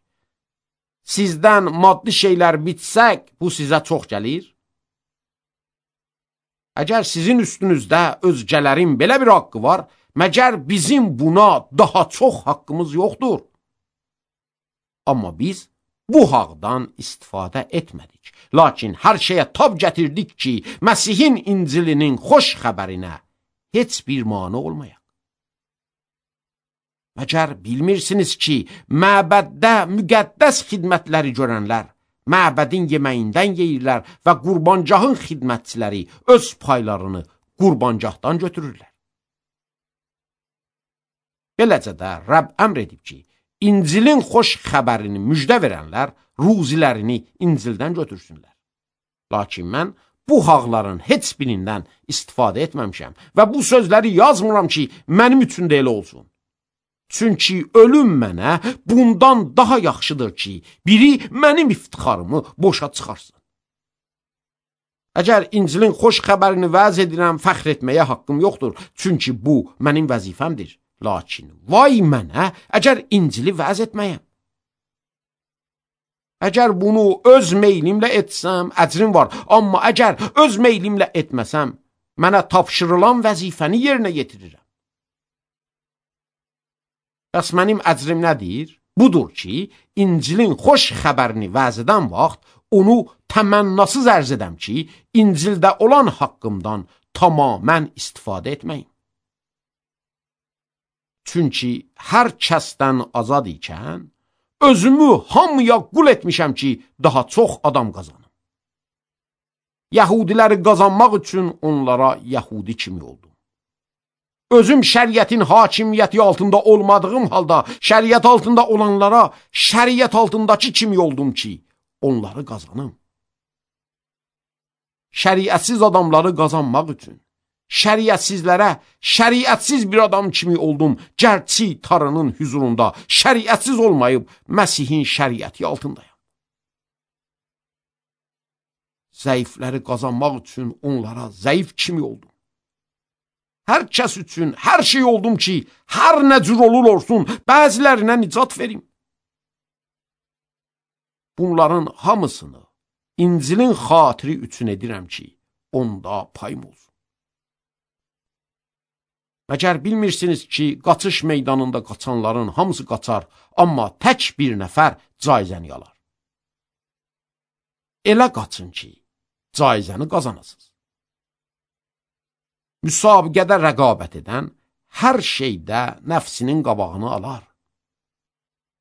sizdən maddi şeylər bitsək, bu sizə çox gəlir. Əgər sizin üstünüzdə özgələrin belə bir haqqı var, məgər bizim buna daha çox haqqımız yoxdur? Amma biz bu haqdan istifadə etmədik. Lakin hər şeyə tab gətirdik ki, Məsihin İncilinin xoş xəbərinə heç bir mane olmayaq. Məgər bilmirsiniz ki, məbəddə müqəddəs xidmətləri görənlər məbədin yeməyindən yeyirlər və qurbancahın xidmətçiləri öz paylarını qurbancahdan götürürlər. Beləcə də Rəbb əmr edib ki, İncilin xoş xəbərini müjdə verənlər ruzilərini İncildən götürsünlər. Lakin mən bu haqların heç birindən istifadə etməmişəm və bu sözləri yazmıram ki, mənim üçün də elə olsun. Çünki ölüm mənə bundan daha yaxşıdır ki, biri mənim iftixarımı boşa çıxarsın. Əgər İncilin xoş xəbərini vəz edirəm, fəxr etməyə haqqım yoxdur, çünki bu mənim vəzifəmdir. Lakin vay mənə, əgər İncili vəz etməyəm. Əgər bunu öz meylimlə etsəm, əcrim var. Amma əgər öz meylimlə etməsəm, mənə tapşırılan vəzifəni yerinə yetirirəm. Bəs mənim əcrim nədir? Budur ki, İncilin xoş xəbərini vəz edən vaxt, onu təmənnasız ərz edəm ki, İncildə olan haqqımdan tamamən istifadə etməyim. Çünki hər kəsdən azad ikən, özümü hamıya qul etmişəm ki, daha çox adam qazanım. Yahudiləri qazanmaq üçün onlara Yahudi kimi oldum. Özüm şəriətin hakimiyyəti altında olmadığım halda, şəriət altında olanlara şəriət altındakı kimi oldum ki, onları qazanım. Şəriətsiz adamları qazanmaq üçün, şəriətsizlərə şəriətsiz bir adam kimi oldum, gərçi Tanrının hüzurunda şəriətsiz olmayıb Məsihin şəriəti altındayım. Zəifləri qazanmaq üçün onlara zəif kimi oldum. hər kəs üçün hər şey oldum ki, hər nə cür olur olsun, bəzilərinə nicat verim. Bunların hamısını İncilin xatiri üçün edirəm ki, onda payım olsun. Məgər bilmirsiniz ki, qaçış meydanında qaçanların hamısı qaçar, amma tək bir nəfər caizəni alar. Elə qaçın ki, caizəni qazanasınız. Müsabiqədə rəqabət edən hər şeydə nəfsinin qabağını alar.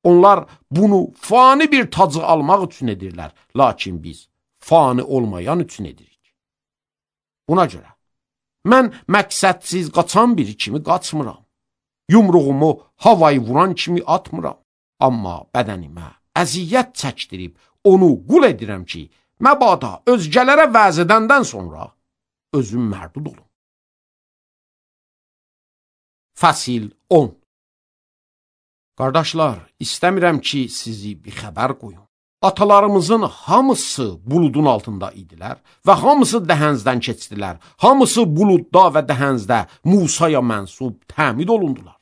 Onlar bunu fani bir tacı almaq üçün edirlər, lakin biz fani olmayan üçün edirik. Buna görə, mən məqsədsiz qaçan biri kimi qaçmıram. Yumruğumu havayı vuran kimi atmıram. Amma bədənimə əziyyət çəkdirib onu qul edirəm ki, məbada özgələrə vəz edəndən sonra özüm mərdud olum. Fəsil on. Qardaşlar, istəmirəm ki, sizi bir xəbər qoyum. Atalarımızın hamısı buludun altında idilər və hamısı dəhəzdən keçdilər. Hamısı buludda və dəhəzdə Musaya mənsub təmid olundular.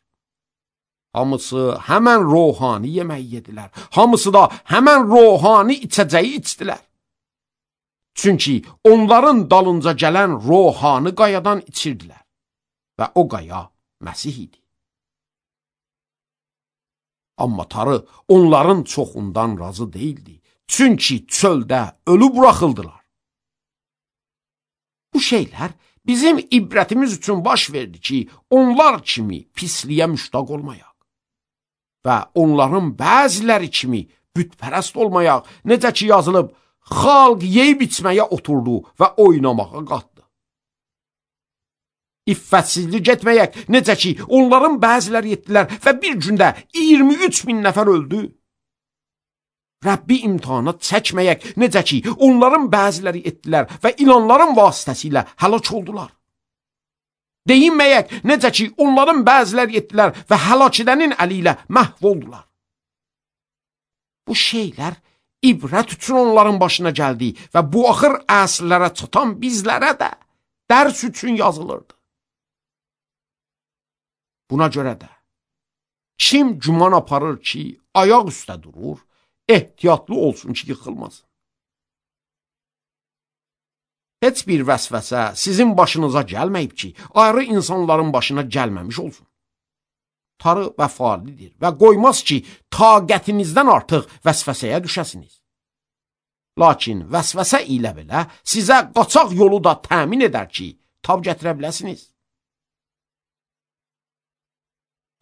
Hamısı həmən ruhani yeməyi yedilər. Hamısı da həmən ruhani içəcəyi içdilər. Çünki onların dalınca gələn ruhani qayadan içirdilər və o qaya Məsih idi. Amma Tanrı onların çoxundan razı değildi. Çünki çöldə ölü buraxıldılar. Bu şeylər bizim ibrətimiz üçün baş verdi ki, onlar kimi pisliyə müştaq olmayaq və onların bəziləri kimi bütpərəst olmayaq. Necə ki yazılıb, xalq yeyib içməyə oturdu və oynamağa qatdı. İffətsizlik etməyək, necə ki onların bəziləri etdilər və bir gündə iyirmi üç min nəfər öldü. Rəbbi imtihana çəkməyək, necə ki onların bəziləri etdilər və ilanların vasitəsilə həlak oldular. Deyinməyək, necə ki onların bəziləri etdilər və həlak edənin əli ilə məhv oldular. Bu şeylər ibrət üçün onların başına gəldi və bu axır əsrlərə çatan bizlərə də dərs üçün yazılırdı. Buna görə də kim güman aparır ki, ayaq üstə durur, ehtiyatlı olsun ki, yıxılmasın. Heç bir vəsvəsə sizin başınıza gəlməyib ki, ayrı insanların başına gəlməmiş olsun. Tanrı vəfalidir və qoymaz ki, taqətinizdən artıq vəsvəsəyə düşəsiniz. Lakin vəsvəsə ilə belə sizə qaçaq yolu da təmin edər ki, tab gətirə biləsiniz.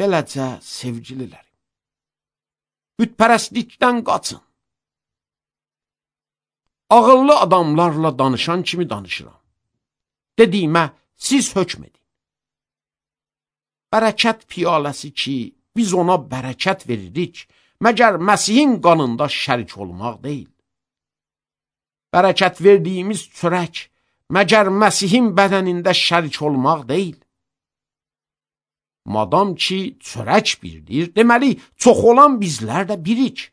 Beləcə, sevgililərim, bütpərəstlikdən qaçın. Ağıllı adamlarla danışan kimi danışıram. Dediyimə siz hökm edin. Bərəkət piyaləsi ki, biz ona bərəkət veririk, məgər Məsihin qanında şərik olmaq deyil. Bərəkət verdiyimiz çörək, məgər Məsihin bədənində şərik olmaq deyil. Madam ki, çörək birdir, deməli, çox olan bizlər də birik.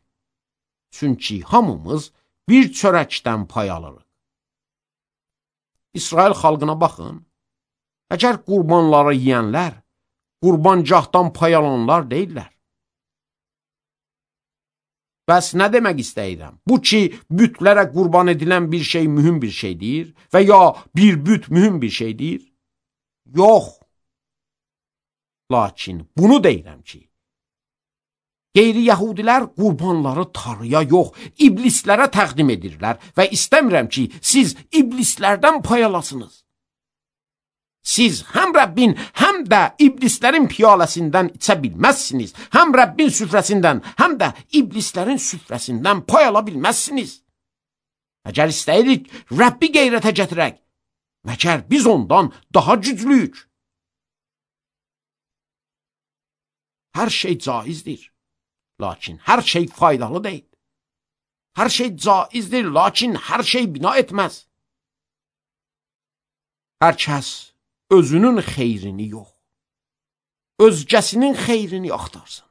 Çünki hamımız bir çörəkdən pay alırıq. İsrail xalqına baxın, əgər qurbanları yiyənlər, qurbancaqdan pay alanlar deyirlər. Bəs nə demək istəyirəm? Bu ki, bütlərə qurban edilən bir şey mühüm bir şeydir və ya bir büt mühüm bir şeydir? Yox. Lakin bunu deyirəm ki, qeyri-yəhudilər qurbanları Tanrıya yox, iblislərə təqdim edirlər və istəmirəm ki, siz iblislərdən pay alasınız. Siz həm Rəbbin, həm də iblislərin piyaləsindən içə bilməzsiniz, həm Rəbbin süfrəsindən, həm də iblislərin süfrəsindən pay ala bilməzsiniz. Əgər istəyirik, Rəbbi qeyrətə gətirək, məgər biz ondan daha güclüyük. Hər şey caizdir, lakin hər şey faydalı deyil. Hər şey caizdir, lakin hər şey bina etməz. Hər kəs özünün xeyrini yox, özgəsinin xeyrini axtarsın.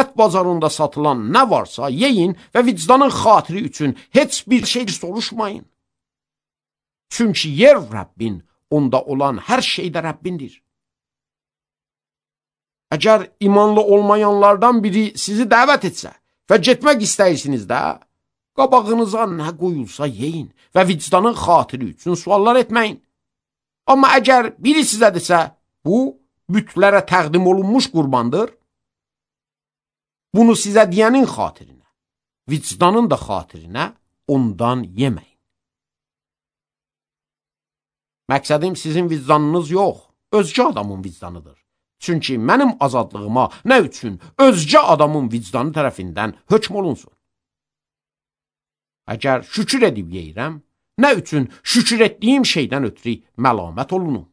Ət bazarında satılan nə varsa yeyin və vicdanın xatiri üçün heç bir şey soruşmayın. Çünki yer Rəbbin, onda olan hər şeydə Rəbbindir. Əgər imanlı olmayanlardan biri sizi dəvət etsə və getmək istəyirsiniz də, qabağınıza nə qoyulsa yeyin və vicdanın xatiri üçün suallar etməyin. Amma əgər biri sizə desə, bu bütlərə təqdim olunmuş qurbandır, bunu sizə deyənin xatirinə, vicdanın da xatirinə ondan yeməyin. Məqsədim sizin vicdanınız yox, özgə adamın vicdanıdır. Çünki mənim azadlığıma nə üçün özgə adamın vicdanı tərəfindən hökm olunsun? Əgər şükür edib yeyirəm, nə üçün şükür etdiyim şeydən ötürü məlamət olunum?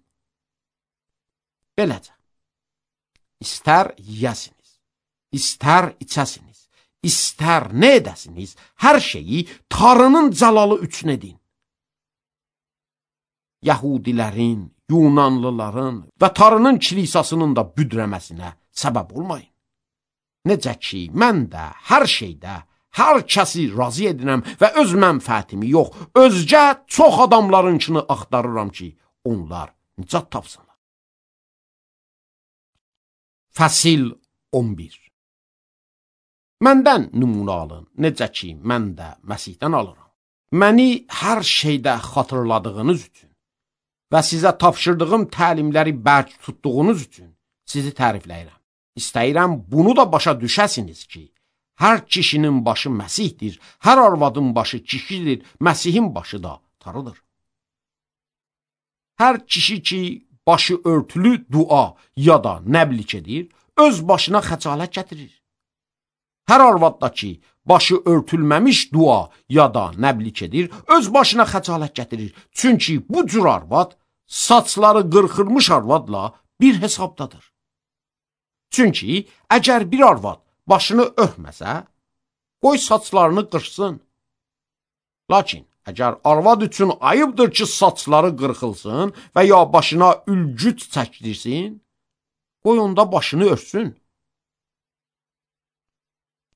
Beləcə, istər yiyəsiniz, istər içəsiniz, istər nə edəsiniz, hər şeyi Tanrının cəlalı üçün edin. Yahudilərin, Yunanlıların və Tanrının kilisasının da büdrəməsinə səbəb olmayın. Necə ki, mən də hər şeydə hər kəsi razı edirəm və öz mənfəətimi yox, özgə çox adamlarınkini axtarıram ki, onlar nicat tapsınlar. Fəsil on bir. Məndən nümunə alın, necə ki, mən də Məsihdən alıram. Məni hər şeydə xatırladığınız üçün və sizə tapşırdığım təlimləri bərk tutduğunuz üçün sizi tərifləyirəm. İstəyirəm bunu da başa düşəsiniz ki, hər kişinin başı Məsihdir, hər arvadın başı kişidir, Məsihin başı da Tanrıdır. Hər kişi ki, başı örtülü dua ya da nəblik edir, öz başına xəcalət gətirir. Hər arvad da ki, başı örtülməmiş dua ya da nəblik edir, öz başına xəcalət gətirir. Çünki bu cür arvad, saçları qırxılmış arvadla bir hesabdadır. Çünki əgər bir arvad başını örtməsə, qoy saçlarını qırxsın. Lakin əgər arvad üçün ayıbdır ki, saçları qırxılsın və ya başına ülgüc çəkdirsin, qoy onda başını örtsün.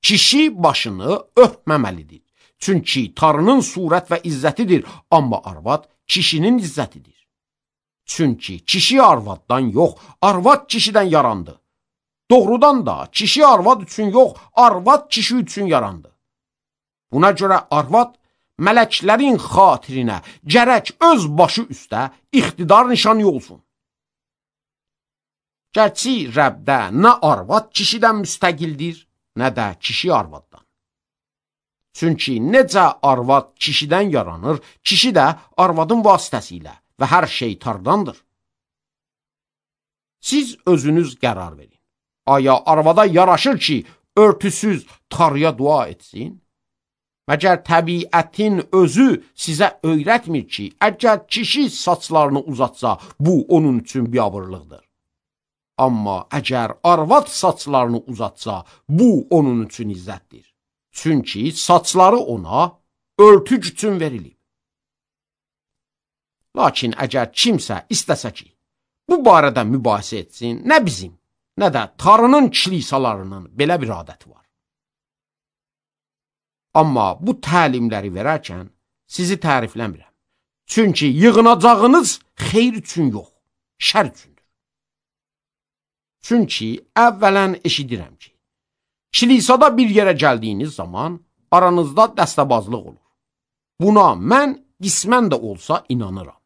Kişi başını örtməməlidir. Çünki Tanrının surət və izzətidir, amma arvad kişinin izzətidir. Çünki kişi arvaddan yox, arvad kişidən yarandı. Doğrudan da kişi arvad üçün yox, arvad kişi üçün yarandı. Buna görə arvad mələklərin xatirinə gərək öz başı üstə iqtidar nişanı olsun. Gərçi Rəbdə nə arvad kişidən müstəqildir, nə də kişi arvaddan. Çünki necə arvad kişidən yaranır, kişi də arvadın vasitəsilə və hər şey Tanrıdandır. Siz özünüz qərar verin. Aya arvada yaraşır ki, örtüsüz Tanrıya dua etsin? Məgər təbiətin özü sizə öyrətmir ki, əgər kişi saçlarını uzatsa, bu onun üçün biabırlıqdır. Amma əgər arvad saçlarını uzatsa, bu onun üçün izzətdir. Çünki saçları ona örtük üçün verilib. Lakin əgər kimsə istəsə ki, bu barədə mübahisə etsin, nə bizim, nə də Tanrının kilisalarının belə bir adəti var. Amma bu təlimləri verərkən sizi tərifləmirəm. Çünki yığınacağınız xeyr üçün yox, şər üçündür. Çünki əvvələn eşidirəm ki, kilisada bir yerə gəldiyiniz zaman aranızda dəstəbazlıq olur. Buna mən qismən də olsa inanıram.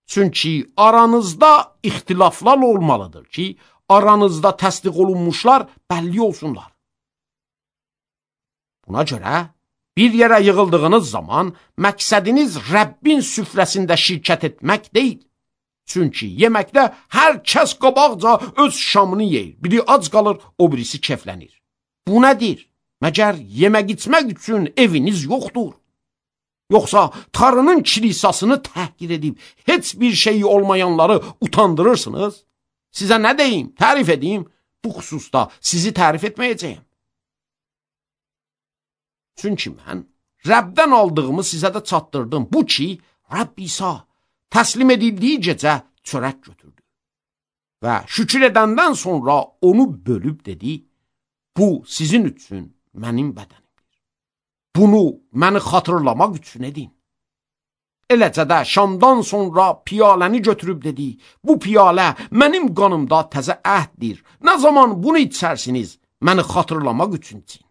Çünki aranızda ixtilaflar olmalıdır ki, aranızda təsdiq olunmuşlar bəlli olsunlar. Buna görə bir yerə yığıldığınız zaman məqsədiniz Rəbbin süfrəsində şirkət etmək deyil. Çünki yeməkdə hər kəs qabaqca öz şamını yeyir. Biri ac qalır, o birisi keflənir. Bu nədir? Məgər yemək içmək üçün eviniz yoxdur? Yoxsa Tanrının kilisasını təhqir edib heç bir şeyi olmayanları utandırırsınız? Sizə nə deyim, tərif edeyim? Bu xüsusda sizi tərif etməyəcəyim. Çünki mən Rəbdən aldığımı sizə də çatdırdım. Bu ki, Rəbb İsa təslim edildiyi gecə çörək götürdü. Və şükür edəndən sonra onu bölüb dedi, bu sizin üçün mənim bədənimdir. Bunu məni xatırlamaq üçün edin. Eləcə də şamdan sonra piyaləni götürüb dedi, bu piyalə mənim qanımda təzə əhddir. Nə zaman bunu içərsiniz, məni xatırlamaq üçün için.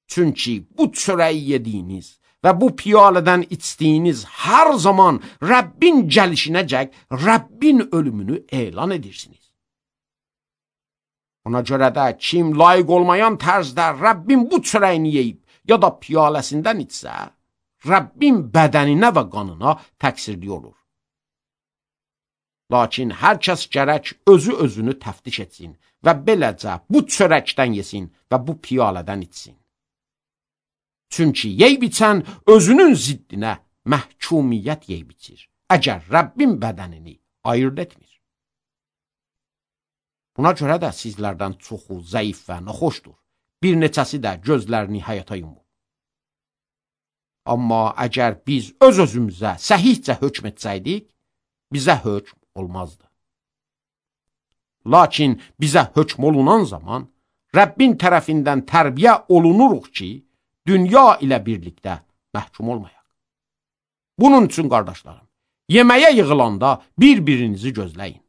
Çünki bu çörəyi yediyiniz və bu piyalədən içdiyiniz hər zaman Rəbbin gəlişinəcək Rəbbin ölümünü elan edirsiniz. Ona görə də kim layiq olmayan tərzdə Rəbbin bu çörəyini yeyib ya da piyaləsindən içsə, Rəbbin bədəninə və qanına təqsirli olur. Lakin hər kəs gərək özü özünü təftiş etsin və beləcə bu çörəkdən yesin və bu piyalədən içsin. Çünki yeyib içən özünün ziddinə məhkumiyyət yeyib içir, əgər Rəbbin bədənini ayırt etmir. Buna görə də sizlərdən çoxu zəif və naxoşdur, bir neçəsi də gözlərini həyata yumur. Amma əgər biz öz-özümüzə səhihcə hökm etsəydik, bizə hökm olmazdı. Lakin bizə hökm olunan zaman Rəbbin tərəfindən tərbiyə olunuruq ki, dünya ilə birlikdə məhkum olmayaq. Bunun üçün, qardaşlarım, yeməyə yığılanda bir-birinizi gözləyin.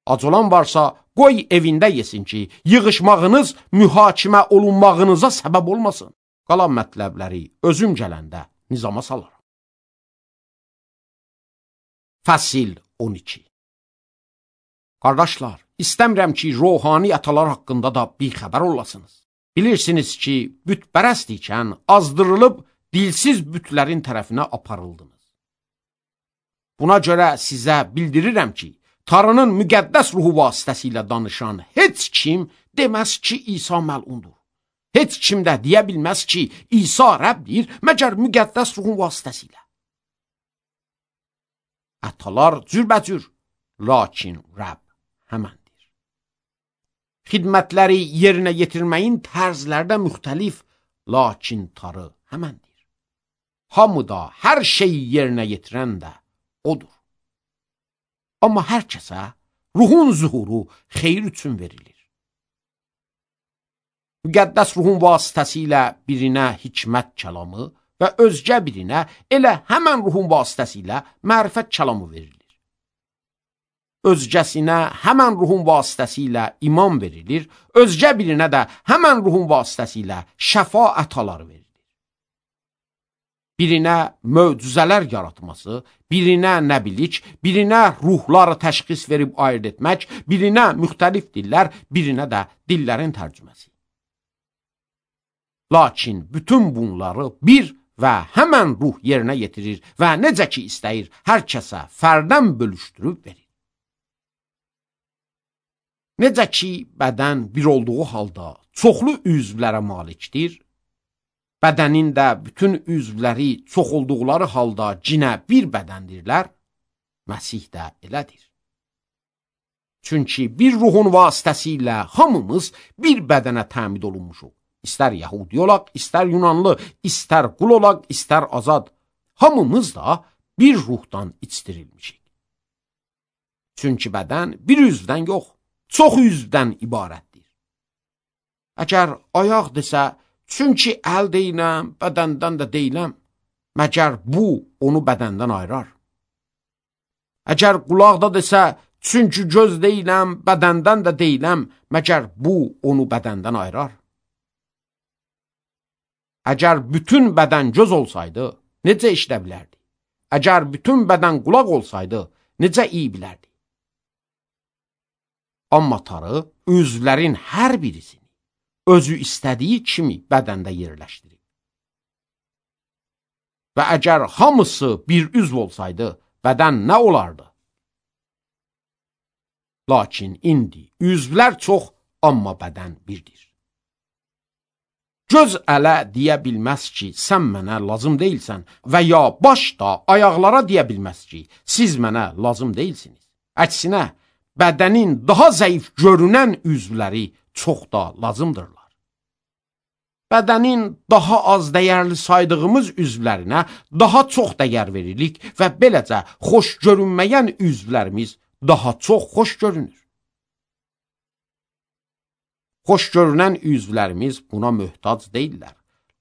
Ac olan varsa, qoy evində yesin ki, yığışmağınız mühakimə olunmağınıza səbəb olmasın. Qalan mətləbləri özüm gələndə nizama salaram. Fəsil on iki. Qardaşlar, istəmirəm ki, ruhani atalar haqqında da bir xəbər olasınız. Bilirsiniz ki, bütpərəst ikən azdırılıb dilsiz bütlərin tərəfinə aparıldınız. Buna görə sizə bildirirəm ki, Tanrının müqəddəs ruhu vasitəsilə danışan heç kim deməz ki, İsa məlundur. Heç kim də deyə bilməz ki, İsa Rəbbdir, məgər müqəddəs ruhun vasitəsilə. Atalar cürbəcür, lakin Rəbb həməndir. Xidmətləri yerinə yetirməyin tərzlərdə müxtəlif, lakin Tanrı həməndir. Hamıda hər şeyi yerinə yetirən də odur. Amma hər kəsə ruhun zuhuru xeyir üçün verilir. Müqəddəs ruhun vasitəsilə birinə hikmət kəlamı və özgə birinə elə həmən ruhun vasitəsilə mərifət kəlamı verilir. Özgəsinə həmən ruhun vasitəsilə iman verilir, özgə birinə də həmən ruhun vasitəsilə şəfa ətaları verilir. Birinə möcüzələr yaratması, birinə nəbilik, birinə ruhları təşxis verib ayırt etmək, birinə müxtəlif dillər, birinə də dillərin tərcüməsi. Lakin bütün bunları bir və həmən ruh yerinə yetirir və necə ki istəyir, hər kəsə fərdən bölüşdürüb verir. Necə ki bədən bir olduğu halda çoxlu üzvlərə malikdir, bədənin də bütün üzvləri çox olduqları halda cinə bir bədəndirlər, Məsih də elədir. Çünki bir ruhun vasitəsilə hamımız bir bədənə təmid olunmuşuq. İstər Yahudi olaq, istər Yunanlı, istər qul olaq, istər azad. Hamımız da bir ruhdan içdirilmişik. Çünki bədən bir üzvdən yox, çox üzvdən ibarətdir. Əgər ayaq desə, çünki əl deyiləm, bədəndən də deyiləm, məgər bu onu bədəndən ayırar. Əgər qulaq da desə, çünki göz deyiləm, bədəndən də deyiləm, məgər bu onu bədəndən ayırar. Əgər bütün bədən göz olsaydı, necə işlə bilərdi? Əgər bütün bədən qulaq olsaydı, necə iyi bilərdi? Amma Tanrı üzvlərin hər birisini özü istədiyi kimi bədəndə yerləşdirir. Və əgər hamısı bir üzv olsaydı, bədən nə olardı? Lakin indi üzvlər çox, amma bədən birdir. Göz ələ deyə bilməz ki, sən mənə lazım deyilsən və ya baş da ayaqlara deyə bilməz ki, siz mənə lazım deyilsiniz. Əksinə, bədənin daha zəif görünən üzvləri çox da lazımdırlar. Bədənin daha az dəyərli saydığımız üzvlərinə daha çox dəyər veririk və beləcə xoş görünməyən üzvlərimiz daha çox xoş görünür. Xoş görünən üzvlərimiz buna möhtac deyirlər.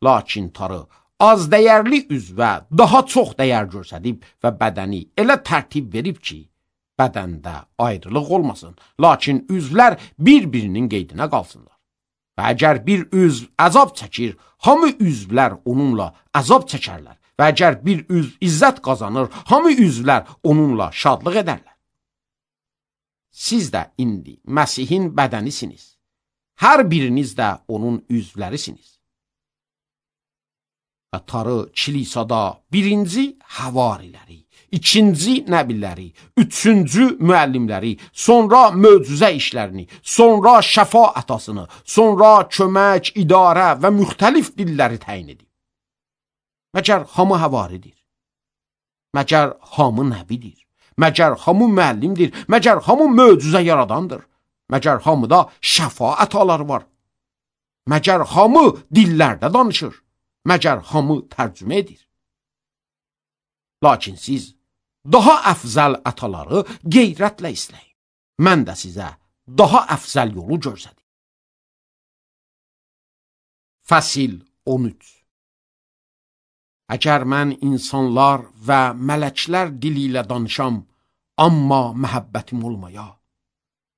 Lakin Tanrı az dəyərli üzvə daha çox dəyər göstərib və bədəni elə tərtib verib ki, bədəndə ayrılıq olmasın, lakin üzvlər bir-birinin qeydinə qalsınlar. Və əgər bir üzv əzab çəkir, hamı üzvlər onunla əzab çəkərlər. Və əgər bir üzv izzət qazanır, hamı üzvlər onunla şadlıq edərlər. Siz də indi Məsihin bədənisiniz. Hər biriniz də onun üzvlərisiniz. Və tarı kilisada birinci havariləri, ikinci nəbiləri, üçüncü müəllimləri, sonra möcüzə işlərini, sonra şəfa ətasını, sonra kömək, idarə və müxtəlif dilləri təyin edib. Məgər hamı havaridir, məgər hamı nəbidir, məgər hamı müəllimdir, məgər hamı möcüzə yaradandır, məgər hamıda şəfa ətaları var, məgər hamı dillərdə danışır, məgər hamı tərcümə edir. Lakin siz daha əfzəl ətaları qeyrətlə istəyin. Mən də sizə daha əfzəl yolu göstərim. Fəsil on üç. Əgər mən insanlar və mələklər dili ilə danışam, amma məhəbbətim olmaya,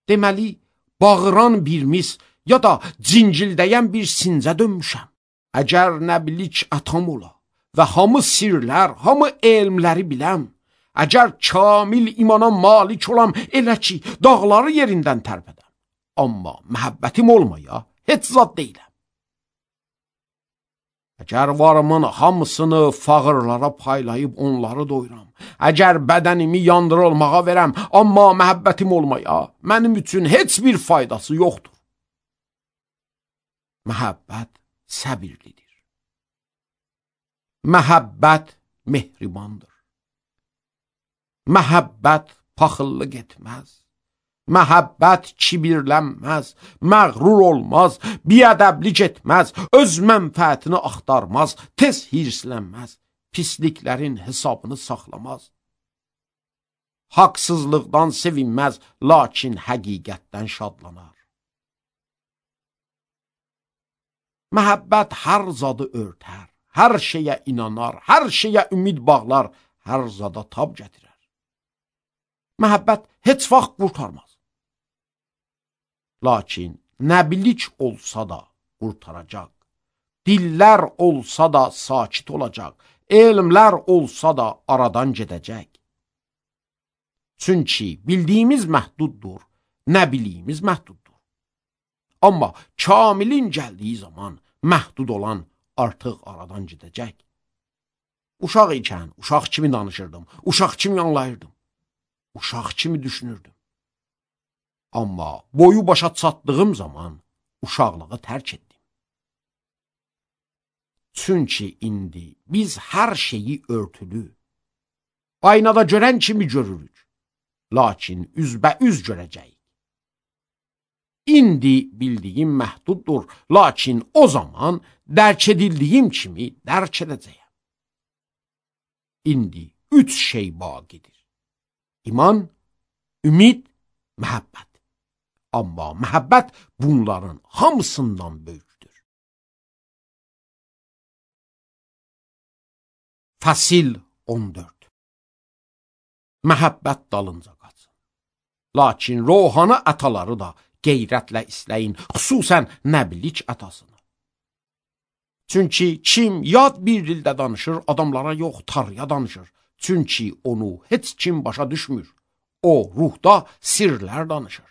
deməli, bağıran bir mis ya da cincildəyən bir sincə dönmüşəm. Əgər nəbilik ətam ola və hamı sirlər, hamı elmləri biləm, əgər kamil imana malik olam, elə ki, dağları yerindən tərpədəm, amma məhəbbətim olmaya heç zad deyiləm. Əgər varımın hamısını fağırlara paylayıb onları doyuram, əgər bədənimi yandırılmağa verəm, amma məhəbbətim olmaya mənim üçün heç bir faydası yoxdur. Məhəbbət səbirlidir. Məhəbbət mehribandır. Məhəbbət paxıllıq etməz. Məhəbbət kibirlənməz, məğrur olmaz, biədəblik etməz, öz mənfəətini axtarmaz, tez hirslənməz, pisliklərin hesabını saxlamaz. Haqsızlıqdan sevinməz, lakin həqiqətdən şadlanar. Məhəbbət hər zadı örtər, hər şeyə inanar, hər şeyə ümid bağlar, hər zada tab gətirər. Məhəbbət heç vaxt qurtarmaz. Lakin nəbilik olsa da qurtaracaq, dillər olsa da sakit olacaq, elmlər olsa da aradan gedəcək. Çünki bildiyimiz məhduddur, nəbiliyimiz məhduddur. Amma kamilin gəldiyi zaman məhdud olan artıq aradan gedəcək. Uşaq ikən uşaq kimi danışırdım, uşaq kimi anlayırdım, uşaq kimi düşünürdüm. Amma boyu başa çatdığım zaman uşaqlığı tərk etdim. Çünki indi biz hər şeyi örtülü, aynada görən kimi görürük, lakin üzbəüz görəcəyik. İndi bildiyim məhduddur, lakin o zaman dərk edildiyim kimi dərk edəcəyəm. İndi üç şey baqidir. İman, ümid, məhəbbət. Amma məhəbbət bunların hamısından böyükdür. Fəsil on dörd. Məhəbbət dalınca qaçın. Lakin ruhani ətaları da qeyrətlə istəyin, xüsusən nəbilik ətasını. Çünki kim yad bir dildə danışır, adamlara yox, tarıya danışır. Çünki onu heç kim başa düşmür. O, ruhda sirlər danışır.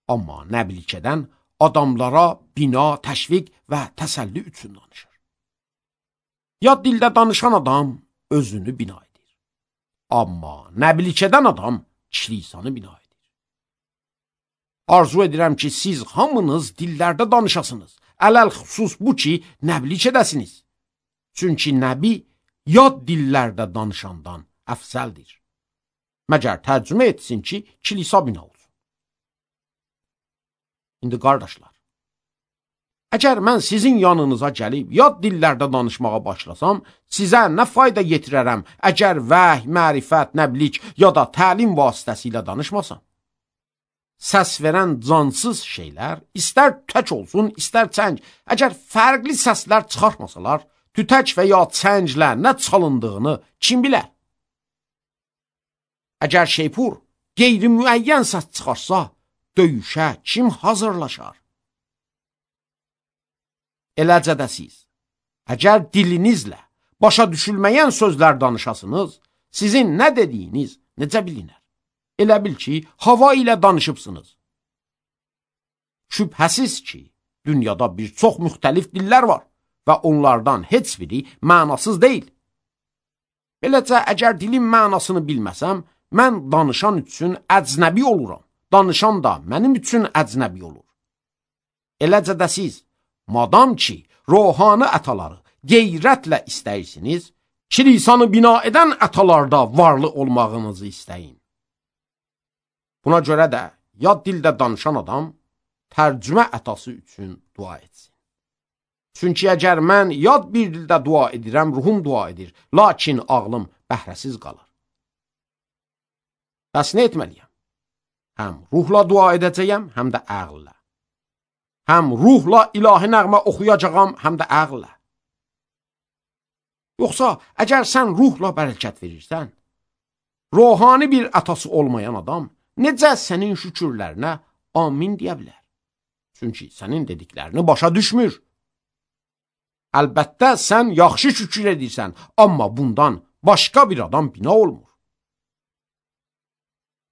Amma nəbilik edən adamlara bina, təşviq və təsəlli üçün danışır. Yad dildə danışan adam özünü bina edir. Amma nəbilik edən adam kilisanı bina edir. Arzu edirəm ki, siz hamınız dillərdə danışasınız. Ələl xüsus bu ki, nəbilik edəsiniz. Çünki nəbi yad dillərdə danışandan əfsəldir. Məgər tərcümə etsin ki, kilisa bina olsun. İndi qardaşlar, əgər mən sizin yanınıza gəlib yad dillərdə danışmağa başlasam, sizə nə fayda yetirərəm, əgər vəhy, mərifət, nəblik ya da təlim vasitəsilə danışmasam? Səs verən cansız şeylər, istər tək olsun, istər çəng, əgər fərqli səslər çıxartmasalar, tütək və ya çənglə nə çalındığını kim bilər? Əgər şeypur qeyri-müəyyən səs çıxarsa, döyüşə kim hazırlaşar? Eləcə də siz, əgər dilinizlə başa düşülməyən sözlər danışasınız, sizin nə dediyiniz necə bilinər? Elə bil ki, hava ilə danışıbsınız. Şübhəsiz ki, dünyada bir çox müxtəlif dillər var və onlardan heç biri mənasız deyil. Beləcə, əgər dilin mənasını bilməsəm, mən danışan üçün əcnəbi oluram. Danışan da mənim üçün əcnəbi olur. Eləcə də siz, madam ki, ruhani ətaları qeyrətlə istəyirsiniz, kilisanı bina edən ətalarda varlı olmağınızı istəyin. Buna görə də yad dildə danışan adam tərcümə ətası üçün dua etsin. Çünki əgər mən yad bir dildə dua edirəm, ruhum dua edir, lakin ağlım bəhrəsiz qalır. Bəs nə etməliyəm? Həm ruhla dua edəcəyəm, həm də əqllə. Həm ruhla ilahi nəğmə oxuyacağam, həm də əqllə. Yoxsa, əgər sən ruhla bərəkət verirsən, ruhani bir atası olmayan adam necə sənin şükürlərinə amin deyə bilər? Çünki sənin dediklərini başa düşmür. Əlbəttə, sən yaxşı şükür edirsən, amma bundan başqa bir adam bina olmur.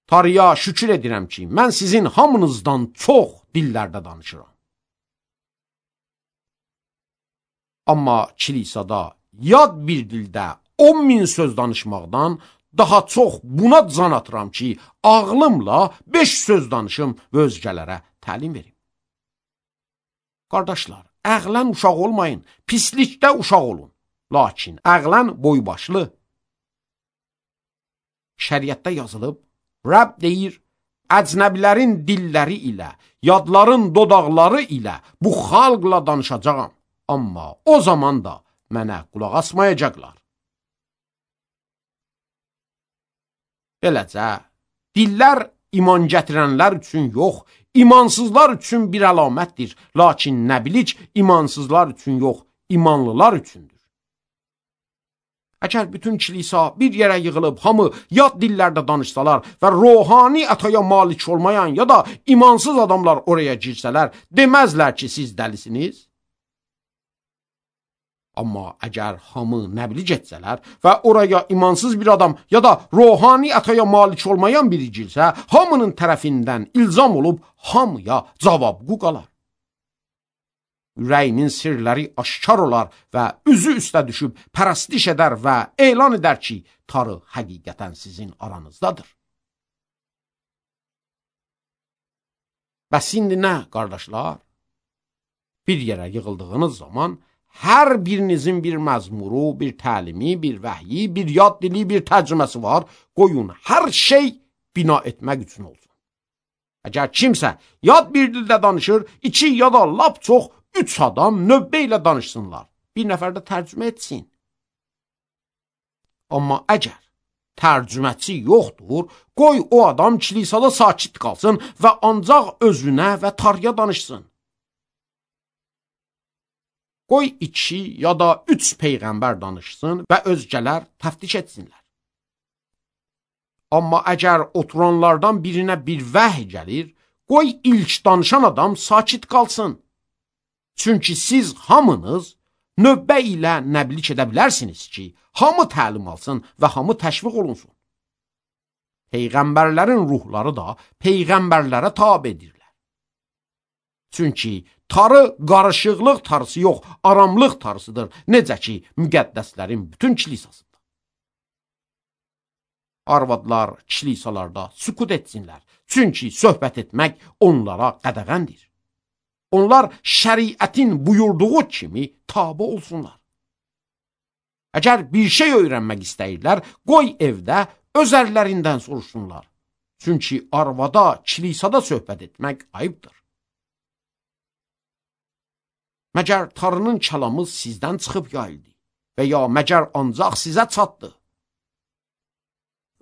Tanrıya şükür edirəm ki, mən sizin hamınızdan çox dillərdə danışıram. Amma kilisada yad bir dildə on min söz danışmaqdan daha çox buna can atıram ki, ağlımla beş söz danışım və özgələrə təlim verim. Qardaşlar, əqlən uşaq olmayın, pislikdə uşaq olun. Lakin əqlən boybaşlı. Şəriətdə yazılıb, Rəbb deyir, əcnəbilərin dilləri ilə, yadların dodaqları ilə bu xalqla danışacağam. Amma o zaman da mənə qulaq asmayacaqlar. Beləcə, dillər iman gətirənlər üçün yox, imansızlar üçün bir əlamətdir. Lakin nəbilik imansızlar üçün yox, imanlılar üçündür. Əgər bütün kilisa bir yerə yığılıb, hamı yad dillərdə danışsalar və ruhani ətaya malik olmayan ya da imansız adamlar oraya girsələr, deməzlər ki, siz dəlisiniz. Amma əgər hamı nəbli getsələr və oraya imansız bir adam ya da ruhani ətaya malik olmayan biri girsə, hamının tərəfindən ilzam olub hamıya cavabqu qalar. Ürəyinin sirləri aşkar olar və üzü üstə düşüb pərəstiş edər və elan edər ki, Tanrı həqiqətən sizin aranızdadır. Bəs indi nə, qardaşlar? Bir yerə yığıldığınız zaman hər birinizin bir məzmuru, bir təlimi, bir vəhyi, bir yad dili, bir tərcüməsi var. Qoyun, hər şey bina etmək üçün olsun. Əgər kimsə yad bir dildə danışır, iki ya da lap çox üç adam növbə ilə danışsınlar. Bir nəfər də tərcümə etsin. Amma əgər tərcüməçi yoxdur, qoy o adam kilisada sakit qalsın və ancaq özünə və Tanrıya danışsın. Qoy iki ya da üç peyğəmbər danışsın və özgələr təftiş etsinlər. Amma əgər oturanlardan birinə bir vəhy gəlir, qoy ilk danışan adam sakit qalsın. Çünki siz hamınız növbə ilə nəblik edə bilərsiniz ki, hamı təlim alsın və hamı təşviq olunsun. Peyğəmbərlərin ruhları da peyğəmbərlərə tabedirlər. Çünki Tanrı qarışıqlıq tarısı yox, aramlıq tarısıdır, necə ki, müqəddəslərin bütün kilisasında. Arvadlar kilisalarda sükut etsinlər, çünki söhbət etmək onlara qədəğəndir. Onlar şəriətin buyurduğu kimi tabe olsunlar. Əgər bir şey öyrənmək istəyirlər, qoy evdə öz ərlərindən soruşsunlar. Çünki arvada, kilisada söhbət etmək ayıbdır. Məgər Tanrının kəlamı sizdən çıxıb yayıldı və ya məgər ancaq sizə çatdı?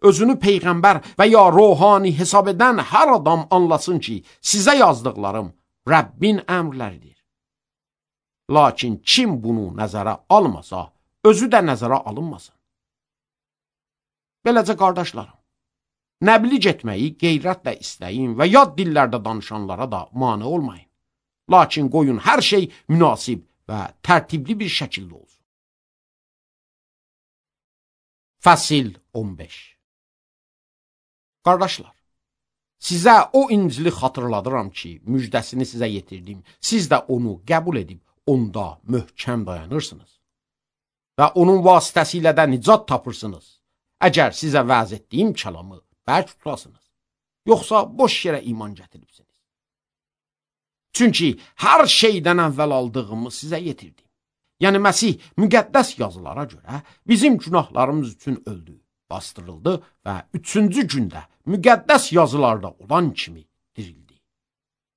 Özünü peyğəmbər və ya ruhani hesab edən hər adam anlasın ki, sizə yazdıqlarım Rəbbin əmrləridir. Lakin kim bunu nəzərə almasa, özü də nəzərə alınmasın. Beləcə qardaşlarım, nəbliğ etməyi qeyrətlə istəyin və yad dillərdə danışanlara da mane olmayın. Lakin qoyun hər şey münasib və tərtibli bir şəkildə olsun. Fəsil on beş. Qardaşlar, sizə o İncili xatırladıram ki, müjdəsini sizə yetirdim. Siz də onu qəbul edib, onda möhkəm dayanırsınız. Və onun vasitəsilə də nicat tapırsınız. Əgər sizə vəz etdiyim kəlamı bərk tutasınız, yoxsa boş yerə iman gətiribsiniz. Çünki hər şeydən əvvəl aldığımı sizə yetirdim. Yəni Məsih müqəddəs yazılara görə bizim günahlarımız üçün öldü, bastırıldı və üçüncü gündə müqəddəs yazılarda olan kimi dirildi.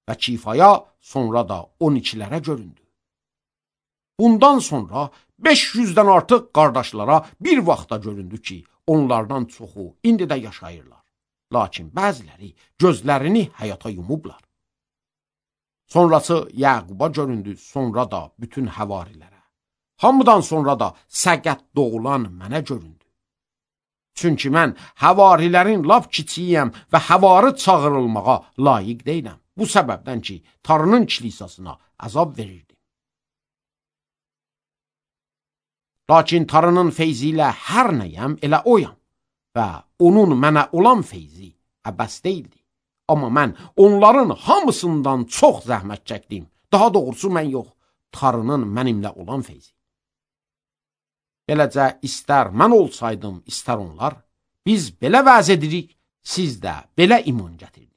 Və kifaya, sonra da on ikilərə göründü. Bundan sonra beş yüzdən artıq qardaşlara bir vaxtda göründü ki, onlardan çoxu indi də yaşayırlar. Lakin bəziləri gözlərini həyata yumublar. Sonrası Yaquba göründü, sonra da bütün həvarilərə. Hamıdan sonra da səqət doğulan mənə göründü. Çünki mən həvarilərin lap kiçiyəm və həvarı çağırılmağa layiq deyiləm. Bu səbəbdən ki, Tanrının kilisasına əzab verirdim. Lakin Tanrının feyzi ilə hər nəyəm elə oyam və onun mənə olan feyzi əbəs deyildi. Amma mən onların hamısından çox zəhmət çəkdim. Daha doğrusu mən yox, Tanrının mənimlə olan feyzi. Beləcə, istər mən olsaydım, istər onlar, biz belə vəz edirik, siz də belə iman gətirdiniz.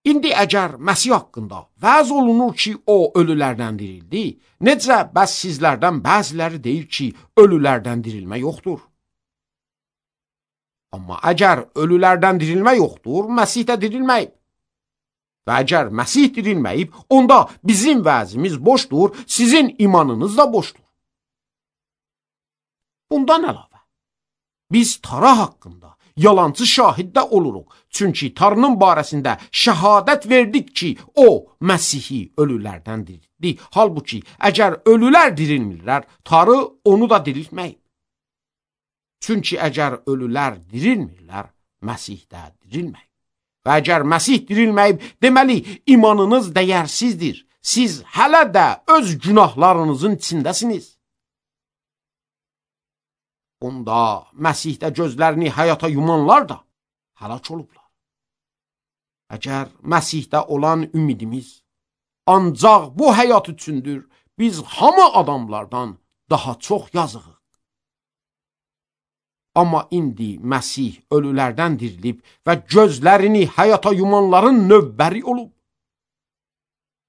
İndi əgər Məsih haqqında vəz olunur ki, o ölülərdən dirildi, necə bəs sizlərdən bəziləri deyir ki, ölülərdən dirilmə yoxdur? Amma əgər ölülərdən dirilmə yoxdur, Məsih də dirilməyib. Və əgər Məsih dirilməyib, onda bizim vəzimiz boşdur, sizin imanınız da boşdur. Bundan əlavə, biz Tara haqqında yalancı şahiddə oluruq. Çünki Tanrının barəsində şəhadət verdik ki, o Məsihi ölülərdən diriltdi. Halbuki, əgər ölülər dirilmirlər, Tanrı onu da diriltməyib. Çünki əgər ölülər dirilmirlər, Məsih də dirilməyib. Və əgər Məsih dirilməyib, deməli, imanınız dəyərsizdir. Siz hələ də öz günahlarınızın içindəsiniz. Onda Məsihdə gözlərini həyata yumanlar da həlak olublar. Əgər Məsihdə olan ümidimiz ancaq bu həyat üçündür, biz hamı adamlardan daha çox yazığıq. Amma indi Məsih ölülərdən dirilib və gözlərini həyata yumanların növbəri olub.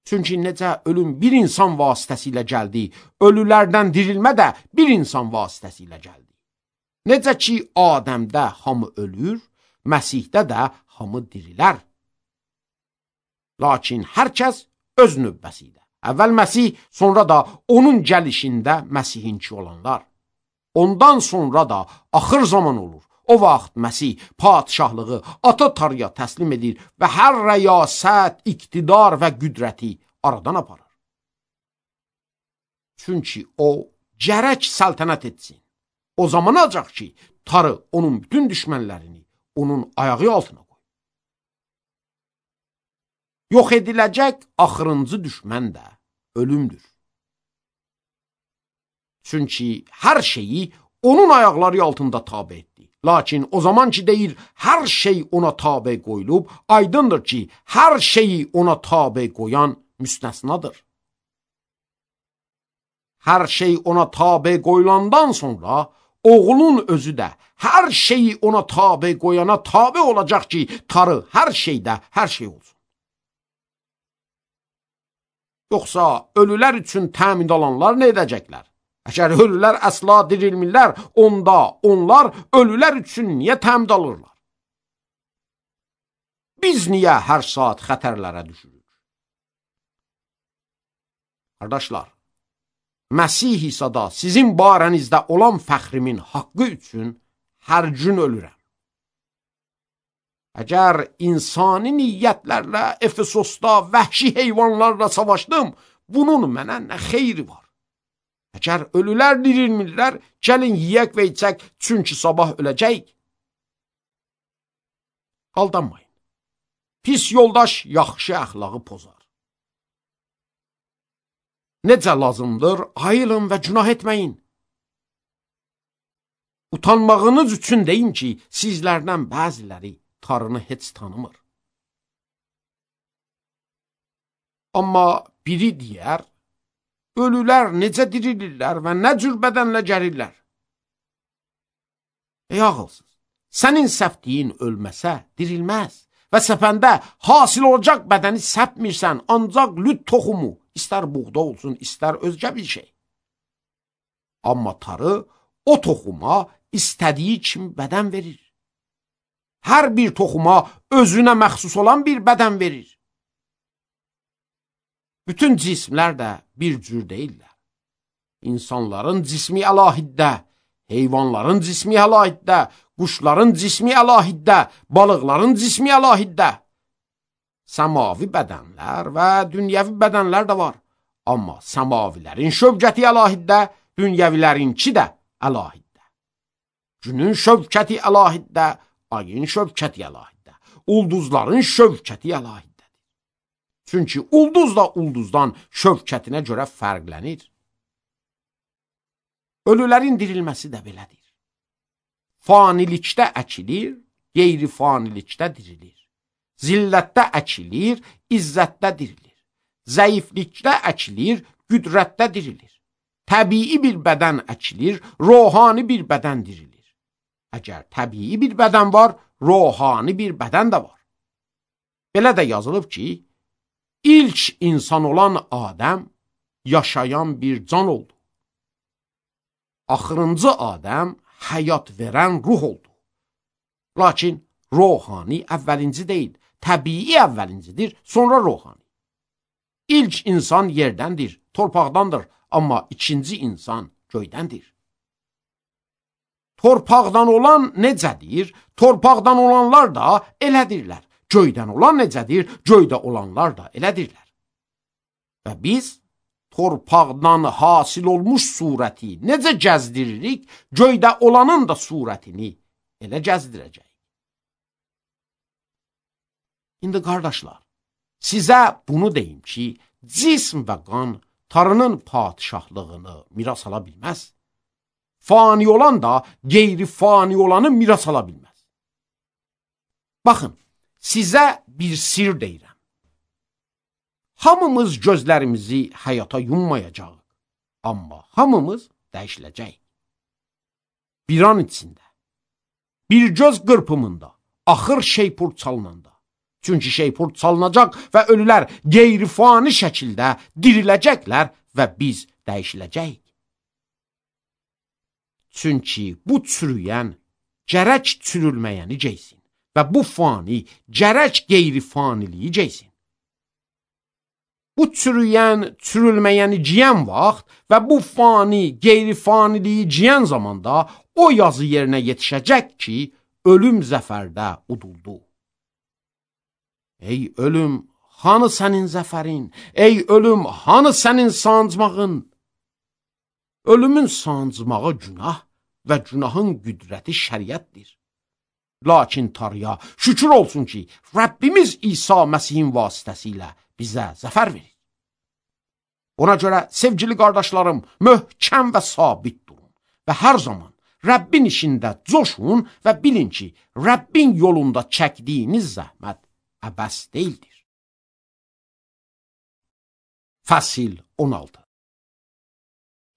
Çünki necə ölüm bir insan vasitəsilə gəldi, ölülərdən dirilmə də bir insan vasitəsilə gəldi. Necə ki, Adəmdə hamı ölür, Məsihdə də hamı dirilər. Lakin hər kəs öz növbəsində. Əvvəl Məsih, sonra da onun gəlişində Məsihinki olanlar. Ondan sonra da axır zaman olur. O vaxt Məsih padişahlığı ata Tanrıya təslim edir və hər rəyasət, iqtidar və qüdrəti aradan aparır. Çünki o gərək səltənət etsin. O zaman olacaq ki, Tanrı onun bütün düşmənlərini onun ayağı altına qoy. Yox ediləcək axırıncı düşmən də ölümdür. Çünki hər şeyi onun ayaqları altında tabe etdi. Lakin o zaman ki deyir, hər şey ona tabe qoyulub, aydındır ki, hər şeyi ona tabe qoyan müstəsnadır. Hər şey ona tabe qoyulandan sonra, oğlun özü də hər şeyi ona tabe qoyana tabe olacaq ki, Tanrı hər şeydə hər şey olsun. Yoxsa ölülər üçün təmin olanlar nə edəcəklər? Əgər ölülər əsla dirilmirlər, onda onlar ölülər üçün niyə təmin alırlar? Biz niyə hər saat xətərlərə düşürük? Qardaşlar, Məsih İsa'da sizin barənizdə olan fəxrimin haqqı üçün hər gün ölürəm. Əgər insani niyyətlərlə Efesosda vəhşi heyvanlarla savaşdım, bunun mənə nə xeyri var? Əgər ölülər dirilmirlər, gəlin yiyək və içək, çünki sabah öləcəyik. Aldanmayın. Pis yoldaş yaxşı əxlağı pozar. Necə lazımdır, ayılın və günah etməyin. Utanmağınız üçün deyim ki, sizlərdən bəziləri Tanrını heç tanımır. Amma biri deyər, ölülər necə dirilirlər və nə cür bədənlə gəlirlər? Ey ağılsız, sənin səpdiyin ölməsə dirilməz və səpəndə hasil olacaq bədəni səpmirsən, ancaq lüt toxumu, istər buğda olsun, istər özgə bir şey. Amma Tanrı o toxuma istədiyi kimi bədən verir. Hər bir toxuma özünə məxsus olan bir bədən verir. Bütün cismlər də bir cür deyirlər. İnsanların cismi əlahiddə, heyvanların cismi əlahiddə, quşların cismi əlahiddə, balıqların cismi əlahiddə. Səmavi bədənlər və dünyəvi bədənlər də var. Amma səmavilərin şövkəti əlahiddə, dünyəvilərinki də əlahiddə. Günün şövkəti əlahiddə, ayın şövkəti əlahiddə, ulduzların şövkəti əlahiddə. Çünki ulduz da ulduzdan şövkətinə görə fərqlənir. Ölülərin dirilməsi də belədir. Fanilikdə əkilir, qeyri-fanilikdə dirilir. Zillətdə əkilir, izzətdə dirilir. Zəiflikdə əkilir, qüdrətdə dirilir. Təbii bir bədən əkilir, ruhani bir bədən dirilir. Əgər təbii bir bədən var, ruhani bir bədən də var. Belə də yazılıb ki, İlk insan olan Adəm yaşayan bir can oldu. Axırıncı Adəm həyat verən ruh oldu. Lakin ruhani əvvəlinci deyil, təbii əvvəlincidir, sonra ruhani. İlk insan yerdəndir, torpaqdandır, amma ikinci insan göydəndir. Torpaqdan olan necədir? Torpaqdan olanlar da elədirlər. Göydən olan necədir? Göydə olanlar da elədirlər. Və biz torpaqdan hasil olmuş surəti necə gəzdiririk, göydə olanın da surətini elə gəzdirəcək. İndi qardaşlar, sizə bunu deyim ki, cism və qan Tanrının padişahlığını miras ala bilməz. Fani olan da qeyri-fani olanı miras ala bilməz. Baxın, sizə bir sir deyirəm. Hamımız gözlərimizi həyata yummayacaq, amma hamımız dəyişiləcək. Bir an içində, bir göz qırpımında, axır şeypur çalınanda. Çünki şeypur çalınacaq və ölülər qeyri-fani şəkildə diriləcəklər və biz dəyişiləcəyik. Çünki bu çürüyən gərək çürülməyəni geysin. Və bu fani gərək qeyri-faniliyi geysin. Bu çürüyən, çürülməyəni giyən vaxt və bu fani, qeyri-faniliyi giyən zamanda o yazı yerinə yetişəcək ki, ölüm zəfərdə uduldu. Ey ölüm, hanı sənin zəfərin? Ey ölüm, hanı sənin sancmağın? Ölümün sancmağı günah və günahın qüdrəti şəriətdir. Lakin Tanrıya şükür olsun ki, Rəbbimiz İsa Məsihin vasitəsilə bizə zəfər verir. Ona görə, sevgili qardaşlarım, möhkəm və sabit durun və hər zaman Rəbbin işində coşun və bilin ki, Rəbbin yolunda çəkdiyiniz zəhmət əbəs deyildir. Fəsil on altı.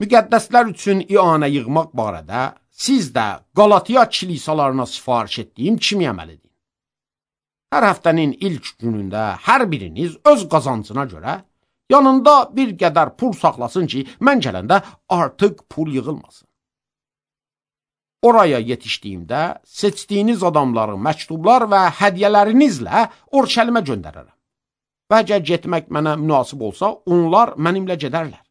Müqəddəslər üçün ianə yığmaq barədə siz də Qalatiya kilisalarına sifariş etdiyim kimi əməl edin. Hər həftənin ilk günündə hər biriniz öz qazancına görə yanında bir qədər pul saxlasın ki, mən gələndə artıq pul yığılmasın. Oraya yetişdiyimdə seçdiyiniz adamları məktublar və hədiyyələrinizlə Orşəlimə göndərərəm. Və əgər getmək mənə münasib olsa, onlar mənimlə gedərlər.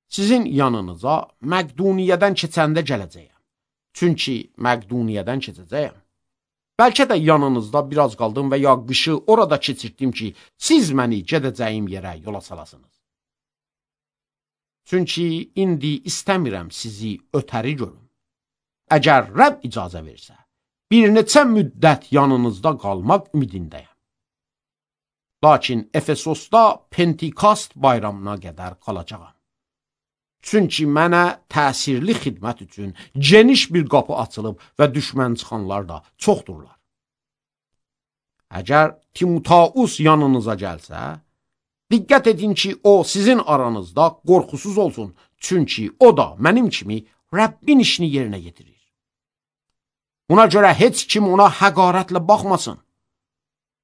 Sizin yanınıza Məqduniyyədən keçəndə gələcəyəm. Çünki Məqduniyyədən keçəcəyəm. Bəlkə də yanınızda biraz qaldım və ya qışı orada keçirtdim ki, siz məni gedəcəyim yerə yola salasınız. Çünki indi istəmirəm sizi ötəri görüm. Əgər Rəbb icazə versə, bir neçə müddət yanınızda qalmaq ümidindəyəm. Lakin Efesosda Pentikast bayramına qədər qalacağam. Çünki mənə təsirli xidmət üçün geniş bir qapı açılıb və düşmən çıxanlar da çoxdurlar. Əgər Timoteus yanınıza gəlsə, diqqət edin ki, o sizin aranızda qorxusuz olsun, çünki o da mənim kimi Rəbbin işini yerinə yetirir. Buna görə heç kim ona həqarətlə baxmasın.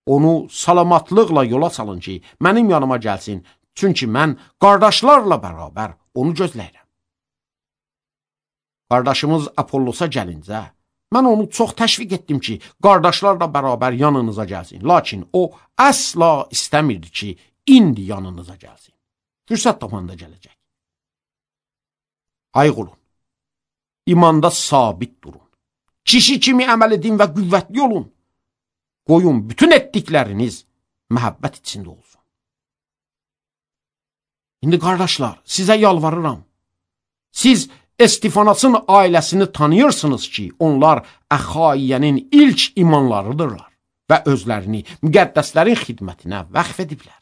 Onu salamatlıqla yola salın ki, mənim yanıma gəlsin, çünki mən qardaşlarla bərabər onu gözləyirəm. Qardaşımız Apollosa gəlincə, mən onu çox təşviq etdim ki, qardaşlarla bərabər yanınıza gəlsin. Lakin o əsla istəmirdi ki, indi yanınıza gəlsin. Fürsət tapanda gələcək. Ayıq olun. İmanda sabit durun. Kişi kimi əməl edin və qüvvətli olun. Qoyun bütün etdikləriniz məhəbbət içində olsun. İndi qardaşlar, sizə yalvarıram. Siz Estifanasın ailəsini tanıyırsınız ki, onlar Əxaiyənin ilk imanlarıdırlar və özlərini müqəddəslərin xidmətinə vəqf ediblər.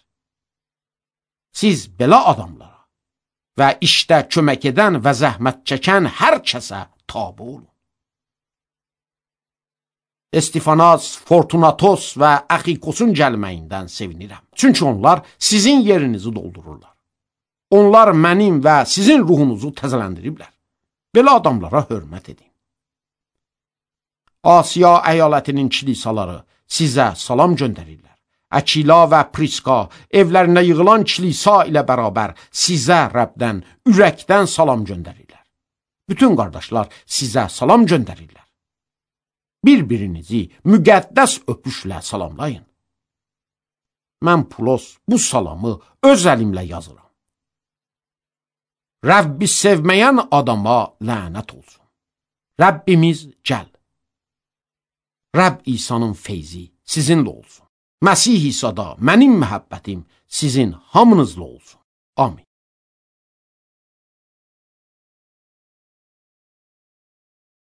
Siz belə adamlara və işdə kömək edən və zəhmət çəkən hər kəsə tabe olun. Estifanas, Fortunatos və Əxikosun gəlməyindən sevinirəm. Çünki onlar sizin yerinizi doldururlar. Onlar mənim və sizin ruhunuzu təzələndiriblər. Belə adamlara hörmət edin. Asiya əyalətinin kilisaları sizə salam göndərirlər. Əkila və Priska evlərində yığılan kilisa ilə bərabər sizə Rəbdən, ürəkdən salam göndərirlər. Bütün qardaşlar sizə salam göndərirlər. Bir-birinizi müqəddəs öpüşlə salamlayın. Mən Pulos bu salamı öz əlimlə yazıram. Rəbbi sevməyən adama lənət olsun. Rəbbimiz gəl. Rəbb İsa'nın feyzi sizinlə olsun. Məsih İsa'da mənim məhəbbətim sizin hamınızla olsun. Amin.